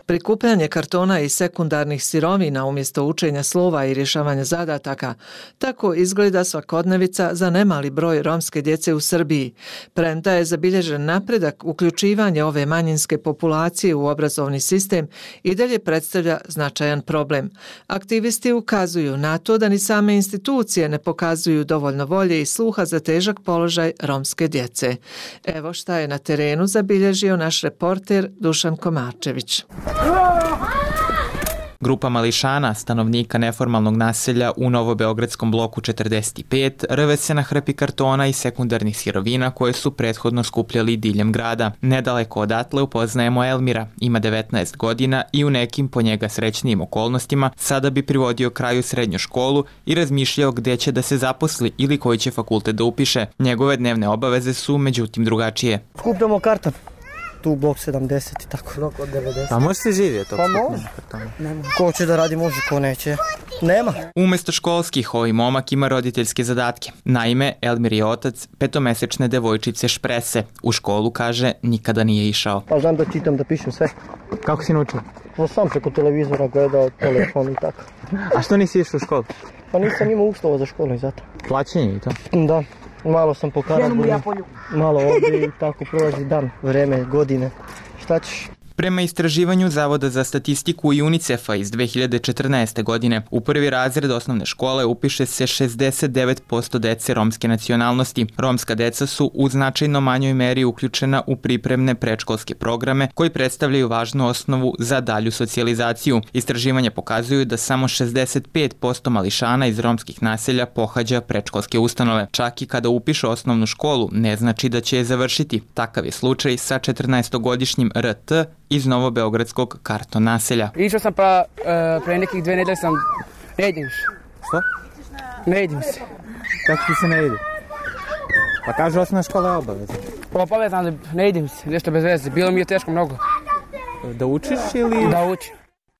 Speaker 11: Prikupljanje kartona i sekundarnih sirovina umjesto učenja slova i rješavanja zadataka, tako izgleda svakodnevica za nemali broj romske djece u Srbiji. Premda je zabilježen napredak, uključivanje ove manjinske populacije u obrazovni sistem i dalje predstavlja značajan problem. Aktivisti ukazuju na to da ni same institucije ne pokazuju dovoljno volje i sluha za težak položaj romske djece. Evo šta je na terenu zabilježio naš reporter Dušan Komarčević.
Speaker 1: Grupa mališana, stanovnika neformalnog naselja u novobeogradskom bloku četrdeset pet, rve se na hrpi kartona i sekundarnih sirovina koje su prethodno skupljali diljem grada. Nedaleko odatle upoznajemo Elmira, ima devetnaest godina i u nekim po njega srećnijim okolnostima sada bi privodio kraju srednju školu i razmišljao gde će da se zaposli ili koji će fakultet da upiše. Njegove dnevne obaveze su međutim drugačije.
Speaker 3: Skupljamo karton. Tu blok sedamdeset i tako. Blok od devedeset.
Speaker 1: Pa može se živjeti?
Speaker 3: Pa može. Ko će da radi može, ko neće. Nema.
Speaker 1: Umesto školskih, ovaj momak ima roditeljske zadatke. Naime, Elmir je otac petomesečne devojčice Šprese. U školu, kaže, nikada nije išao.
Speaker 3: Pa znam da čitam, da pišem sve.
Speaker 1: Kako si naučio?
Speaker 3: Pa sam preko televizora gledao, telefon i tako.
Speaker 1: A što nisi išao u školu?
Speaker 3: Pa nisam imao uslova za školu i zato.
Speaker 1: Plaćenje i to?
Speaker 3: Da. Malo sam po Karaburgu, malo ovdje i tako prolazi dan, vreme, godine. Šta ćeš?
Speaker 1: Prema istraživanju Zavoda za statistiku i UNICEF-a iz dve hiljade četrnaeste. godine, u prvi razred osnovne škole upiše se šezdeset devet posto dece romske nacionalnosti. Romska deca su u značajno manjoj meri uključena u pripremne predškolske programe koji predstavljaju važnu osnovu za dalju socijalizaciju. Istraživanja pokazuju da samo šezdeset pet posto mališana iz romskih naselja pohađa predškolske ustanove. Čak i kada upiše osnovnu školu, ne znači da će je završiti. Takav je slučaj sa četrnaestogodišnjim R T iz novobeogradskog karton naselja.
Speaker 15: Išao sam pa uh, pre nekih dve nedelje sam ne idem više.
Speaker 1: Što?
Speaker 15: Ne idem se.
Speaker 1: Kako ti se ne ide? Pa kaže osnovna škola je obavezna.
Speaker 15: Pa obavezna, ali ne idem se, nešto bez veze. Bilo mi je teško mnogo.
Speaker 1: Da učiš ili?
Speaker 15: Da učim.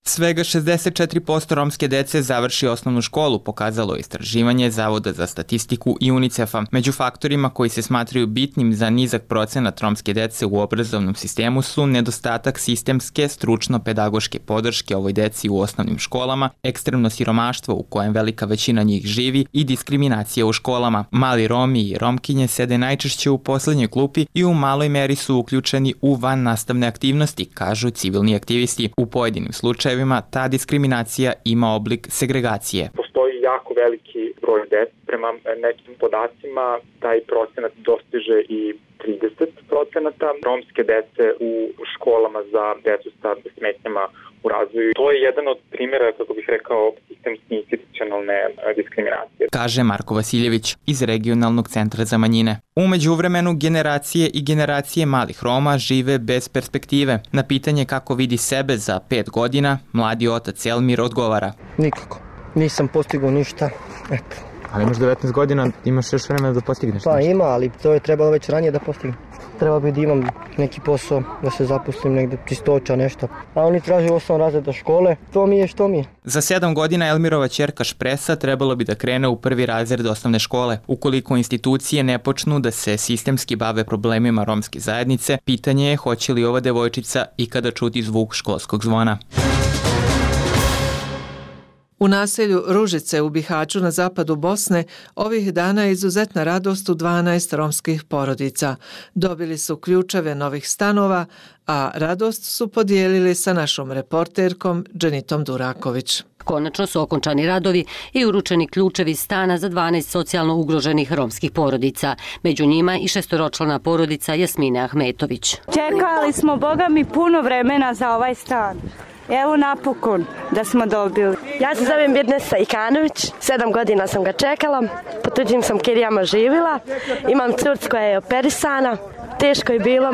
Speaker 1: Svega šezdeset četiri posto romske dece završi osnovnu školu, pokazalo je istraživanje Zavoda za statistiku i UNICEF-a. Među faktorima koji se smatraju bitnim za nizak procenat romske dece u obrazovnom sistemu su nedostatak sistemske, stručno-pedagoške podrške ovoj deci u osnovnim školama, ekstremno siromaštvo u kojem velika većina njih živi i diskriminacija u školama. Mali Romi i Romkinje sede najčešće u poslednjoj klupi i u maloj meri su uključeni u van nastavne aktivnosti, kažu civilni aktivisti. U pojedinim slučajevima ta diskriminacija ima oblik segregacije.
Speaker 9: Postoji jako veliki broj dece. Prema nekim podacima taj procenat dostiže i trideset procenata romske dece u školama za decu sa smetnjama u razvoju. To je jedan od primjera, kako bih rekao, sistemske institucionalne diskriminacije.
Speaker 1: Kaže Marko Vasiljević iz Regionalnog centra za manjine. U međuvremenu generacije i generacije malih Roma žive bez perspektive. Na pitanje kako vidi sebe za pet godina, mladi otac Elmir odgovara.
Speaker 3: Nikako. Nisam postigao ništa. Eto.
Speaker 1: Ali imaš devetnaest godina, imaš još vremena da postigneš
Speaker 3: Pa nešto. Ima, ali to je trebalo već ranije da postignem. Treba bi da imam neki posao, da se zaposlim negde, čistoća, nešto. A oni traže osam razreda škole, to mi je što mi je.
Speaker 1: Za sedam godina Elmirova ćerka Špresa trebalo bi da krene u prvi razred osnovne škole. Ukoliko institucije ne počnu da se sistemski bave problemima romske zajednice, pitanje je hoće li ova devojčica ikada čuti zvuk školskog zvona.
Speaker 11: U naselju Ružice u Bihaću na zapadu Bosne ovih dana je izuzetna radost u dvanaest romskih porodica. Dobili su ključeve novih stanova, a radost su podijelili sa našom reporterkom Dženitom Duraković.
Speaker 21: Konačno su okončani radovi i uručeni ključevi stana za dvanaest socijalno ugroženih romskih porodica. Među njima i šestoročlana porodica Jasmine Ahmetović.
Speaker 23: Čekali smo, Boga mi, puno vremena za ovaj stan. Evo napokon da smo dobili.
Speaker 24: Ja se zovem Birnesa Ikanović, sedam godina sam ga čekala, po tuđim sam kirijama živjela, imam curcu koja je operisana, teško je bilo,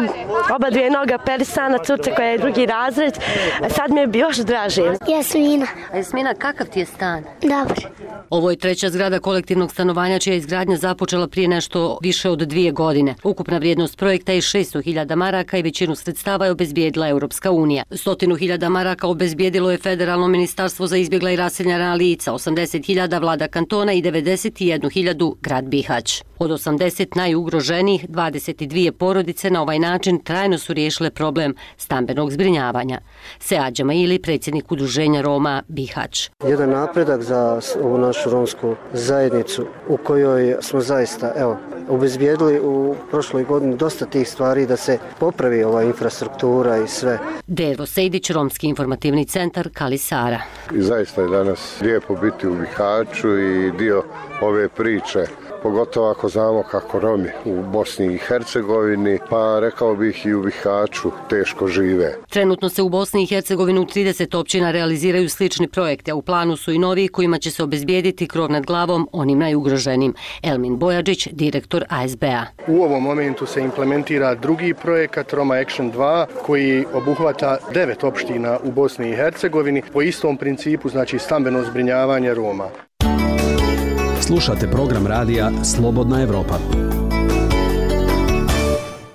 Speaker 24: oba dvije noga operisana, curca koja je drugi razred, a sad mi je još draže.
Speaker 25: Jasmina.
Speaker 21: A Jasmina, kakav ti je stan?
Speaker 25: Dobar.
Speaker 21: Ovo je treća zgrada kolektivnog stanovanja čija je izgradnja započela prije nešto više od dvije godine. Ukupna vrijednost projekta je šesto hiljada maraka i većinu sredstava je obezbijedila Europska unija. Stotinu hiljada maraka obezbijedilo je Federalno ministarstvo za izbjegla i raseljena lica, osamdeset hiljada vlada kantona i devedeset jednu hiljadu grad Bihać. Od osamdeset najugroženijih, dvadeset dvije porodice na ovaj način trajno su riješile problem stambenog zbrinjavanja. Sead Džamaili, predsjednik udruženja Roma Bihać.
Speaker 3: Jedan napredak za ovu našu romsku zajednicu u kojoj smo zaista, evo, obezbijedili u prošloj godini dosta tih stvari da se popravi ova infrastruktura i sve.
Speaker 21: Dervo Sejdić, Romski informativni centar Kalisara.
Speaker 26: I zaista je danas lijepo biti u Bihaću i dio ove priče
Speaker 4: pogotovo ako znamo kako Romi u Bosni i Hercegovini, pa rekao bih i u Bihaću, teško žive.
Speaker 21: Trenutno se u Bosni i Hercegovini u trideset općina realiziraju slični projekti, a u planu su i novi kojima će se obezbijediti krov nad glavom onim najugroženim. Elmin Bojadžić, direktor A S B-a.
Speaker 12: U ovom momentu se implementira drugi projekat Roma Action dva koji obuhvata devet opština u Bosni i Hercegovini po istom principu, znači stambeno zbrinjavanje Roma.
Speaker 13: Slušate program radija Slobodna Evropa.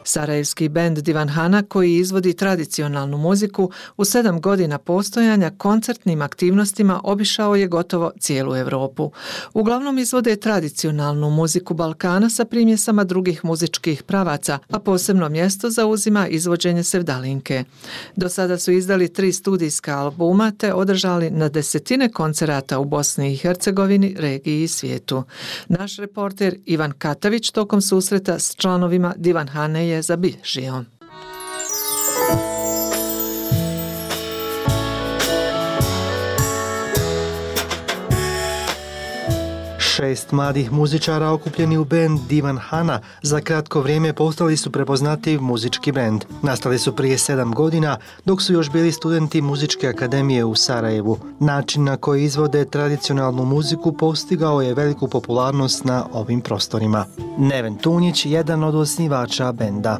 Speaker 11: Sarajevski bend Divan Hana, koji izvodi tradicionalnu muziku, u sedam godina postojanja koncertnim aktivnostima obišao je gotovo cijelu Europu. Uglavnom izvode tradicionalnu muziku Balkana sa primjesama drugih muzičkih pravaca, a posebno mjesto zauzima izvođenje sevdalinke. Do sada su izdali tri studijska albuma te održali na desetine koncerata u Bosni i Hercegovini, regiji i svijetu. Naš reporter Ivan Katavić tokom susreta s članovima Divan Hane je zabilježio.
Speaker 14: Šest mladih muzičara okupljeni u bend Divan Hana za kratko vrijeme postali su prepoznatljiv muzički bend. Nastali su prije sedam godina dok su još bili studenti Muzičke akademije u Sarajevu. Način na koji izvode tradicionalnu muziku postigao je veliku popularnost na ovim prostorima. Neven Tunjić, jedan od osnivača benda.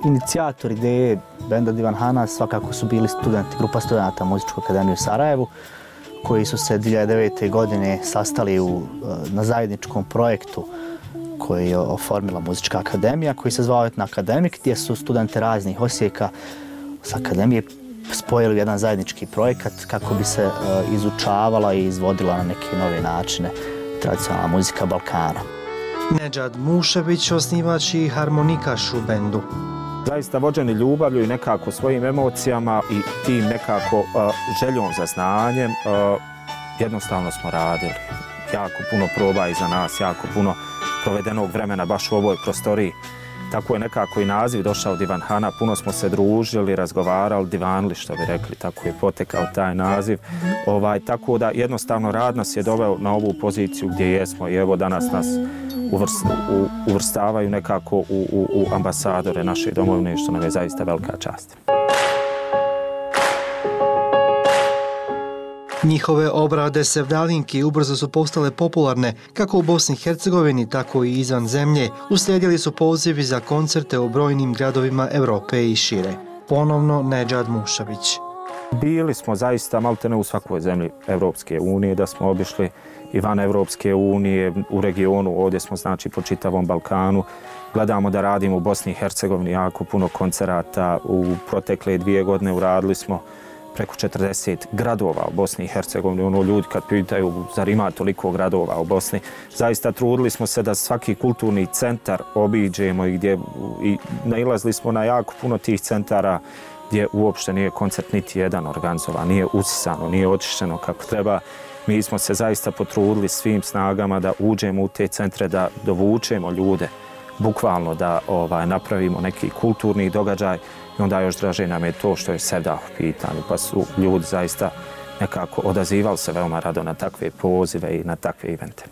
Speaker 16: Inicijator ideje benda Divan Hana svakako su bili studenti, grupa studenta Muzičke akademije u Sarajevu, koji su se dvije hiljade devete. godine sastali u, na zajedničkom projektu koji je oformila Muzička akademija, koji se zvao Etna Akademik, gdje su studente raznih osijeka s akademije spojili u jedan zajednički projekat kako bi se uh, izučavala i izvodila na neke nove načine tradicionalna muzika Balkana.
Speaker 14: Nedžad Mušević, osnivač i harmonikaš u bendu.
Speaker 25: Zaista vođeni ljubavlju i nekako svojim emocijama i tim nekako uh, željom za znanjem, uh, jednostavno smo radili. Jako puno proba iza nas, jako puno provedenog vremena baš u ovoj prostoriji. Tako je nekako i naziv došao Divan Hana, puno smo se družili, razgovarali, divanili što bi rekli, tako je potekao taj naziv. Ovaj, tako da jednostavno rad nas je doveo na ovu poziciju gdje jesmo i evo danas nas uvrst, u, uvrstavaju nekako u, u, u ambasadore naše domovine, što nam je zaista velika čast.
Speaker 14: Njihove obrade sevdalinki ubrzo su postale popularne kako u Bosni i Hercegovini, tako i izvan zemlje. Uslijedili su pozivi za koncerte u brojnim gradovima Europe i šire. Ponovno Nedžad Mušavić.
Speaker 25: Bili smo zaista maltene u svakoj zemlji Evropske unije, da smo obišli i van Evropske unije, u regionu, ovdje smo znači po čitavom Balkanu. Gledamo da radimo u Bosni i Hercegovini jako puno koncerata. U protekle dvije godine uradili smo preko četrdeset gradova u Bosni i Hercegovini. Ono, ljudi kad pitaju zar ima toliko gradova u Bosni, zaista trudili smo se da svaki kulturni centar obiđemo i gdje i nailazili smo na jako puno tih centara gdje uopšte nije koncert niti jedan organizovan, nije usisano, nije očišćeno kako treba. Mi smo se zaista potrudili svim snagama da uđemo u te centre, da dovučemo ljude, bukvalno da ovaj, napravimo neki kulturni događaj. I onda još draže nam je to što je Sevdah u pitanju, pa su ljudi zaista nekako odazivali se veoma rado na takve pozive i na takve evente.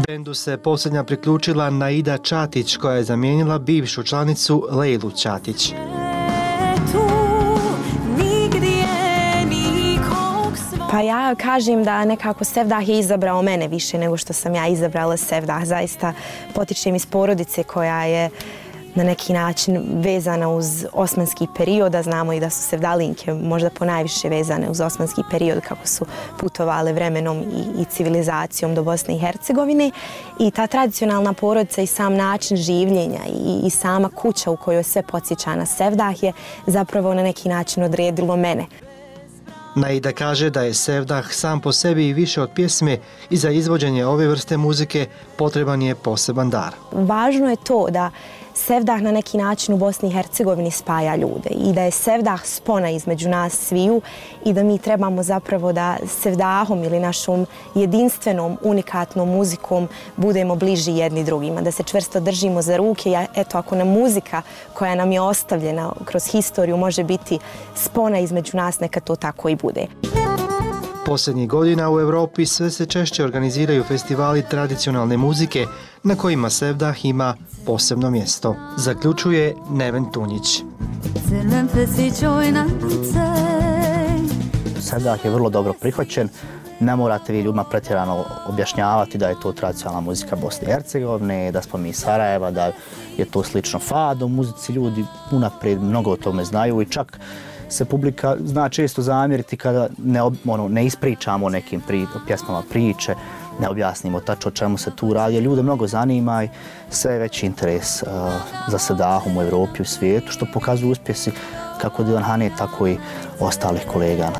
Speaker 14: Bendu se posljednja priključila Naida Čatić, koja je zamijenila bivšu članicu Lejlu Čatić.
Speaker 26: Pa ja kažem da nekako Sevdah je izabrao mene više nego što sam ja izabrala Sevdah. Zaista potičem iz porodice koja je na neki način vezana uz osmanski period, a znamo i da su sevdalinke možda ponajviše vezane uz osmanski period kako su putovale vremenom i, i civilizacijom do Bosne i Hercegovine. I ta tradicionalna porodica i sam način življenja i, i sama kuća u kojoj sve podsjeća na Sevdah je zapravo na neki način odredilo mene.
Speaker 14: Naida kaže da je Sevdah sam po sebi i više od pjesme i za izvođenje ove vrste muzike potreban je poseban dar.
Speaker 26: Važno je to da sevdah na neki način u Bosni i Hercegovini spaja ljude i da je sevdah spona između nas sviju i da mi trebamo zapravo da sevdahom ili našom jedinstvenom, unikatnom muzikom budemo bliži jedni drugima, da se čvrsto držimo za ruke i eto, ako nam muzika koja nam je ostavljena kroz historiju može biti spona između nas, neka to tako i bude.
Speaker 14: Posljednjih godina u Europi sve se češće organiziraju festivali tradicionalne muzike na kojima sevdah ima posebno mjesto, zaključuje Neven Tunjić.
Speaker 16: Sevdah je vrlo dobro prihvaćen. Ne morate vi ljudima pretjerano objašnjavati da je to tradicionalna muzika Bosne i Hercegovine, da smo mi iz Sarajeva, da je to slično fado muzici. Ljudi unaprijed mnogo o tome znaju i čak se publika zna često zamjeriti kada ne, ono, ne ispričamo o nekim pri, pjesmama priče, ne objasnimo tačno o čemu se tu radi. Ljude mnogo zanima i sve je veći interes uh, za sevdahom u Evropi i u svijetu, što pokazuju uspjesi kako Divan Hane, tako i ostalih kolega.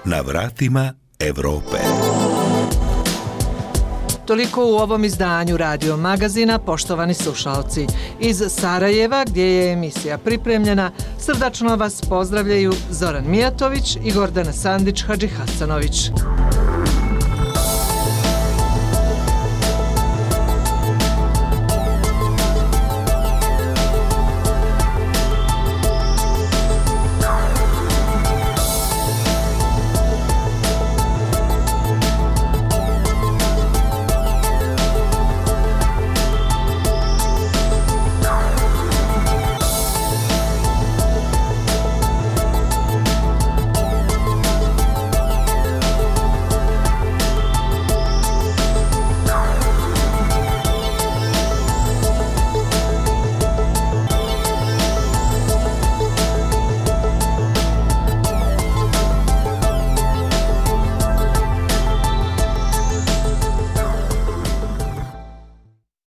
Speaker 10: Na vratima Evrope.
Speaker 11: Toliko u ovom izdanju Radio Magazina, poštovani slušalci. Iz Sarajeva, gdje je emisija pripremljena, srdačno vas pozdravljaju Zoran Mijatović i Gordana Sandić-Hadžihasanović.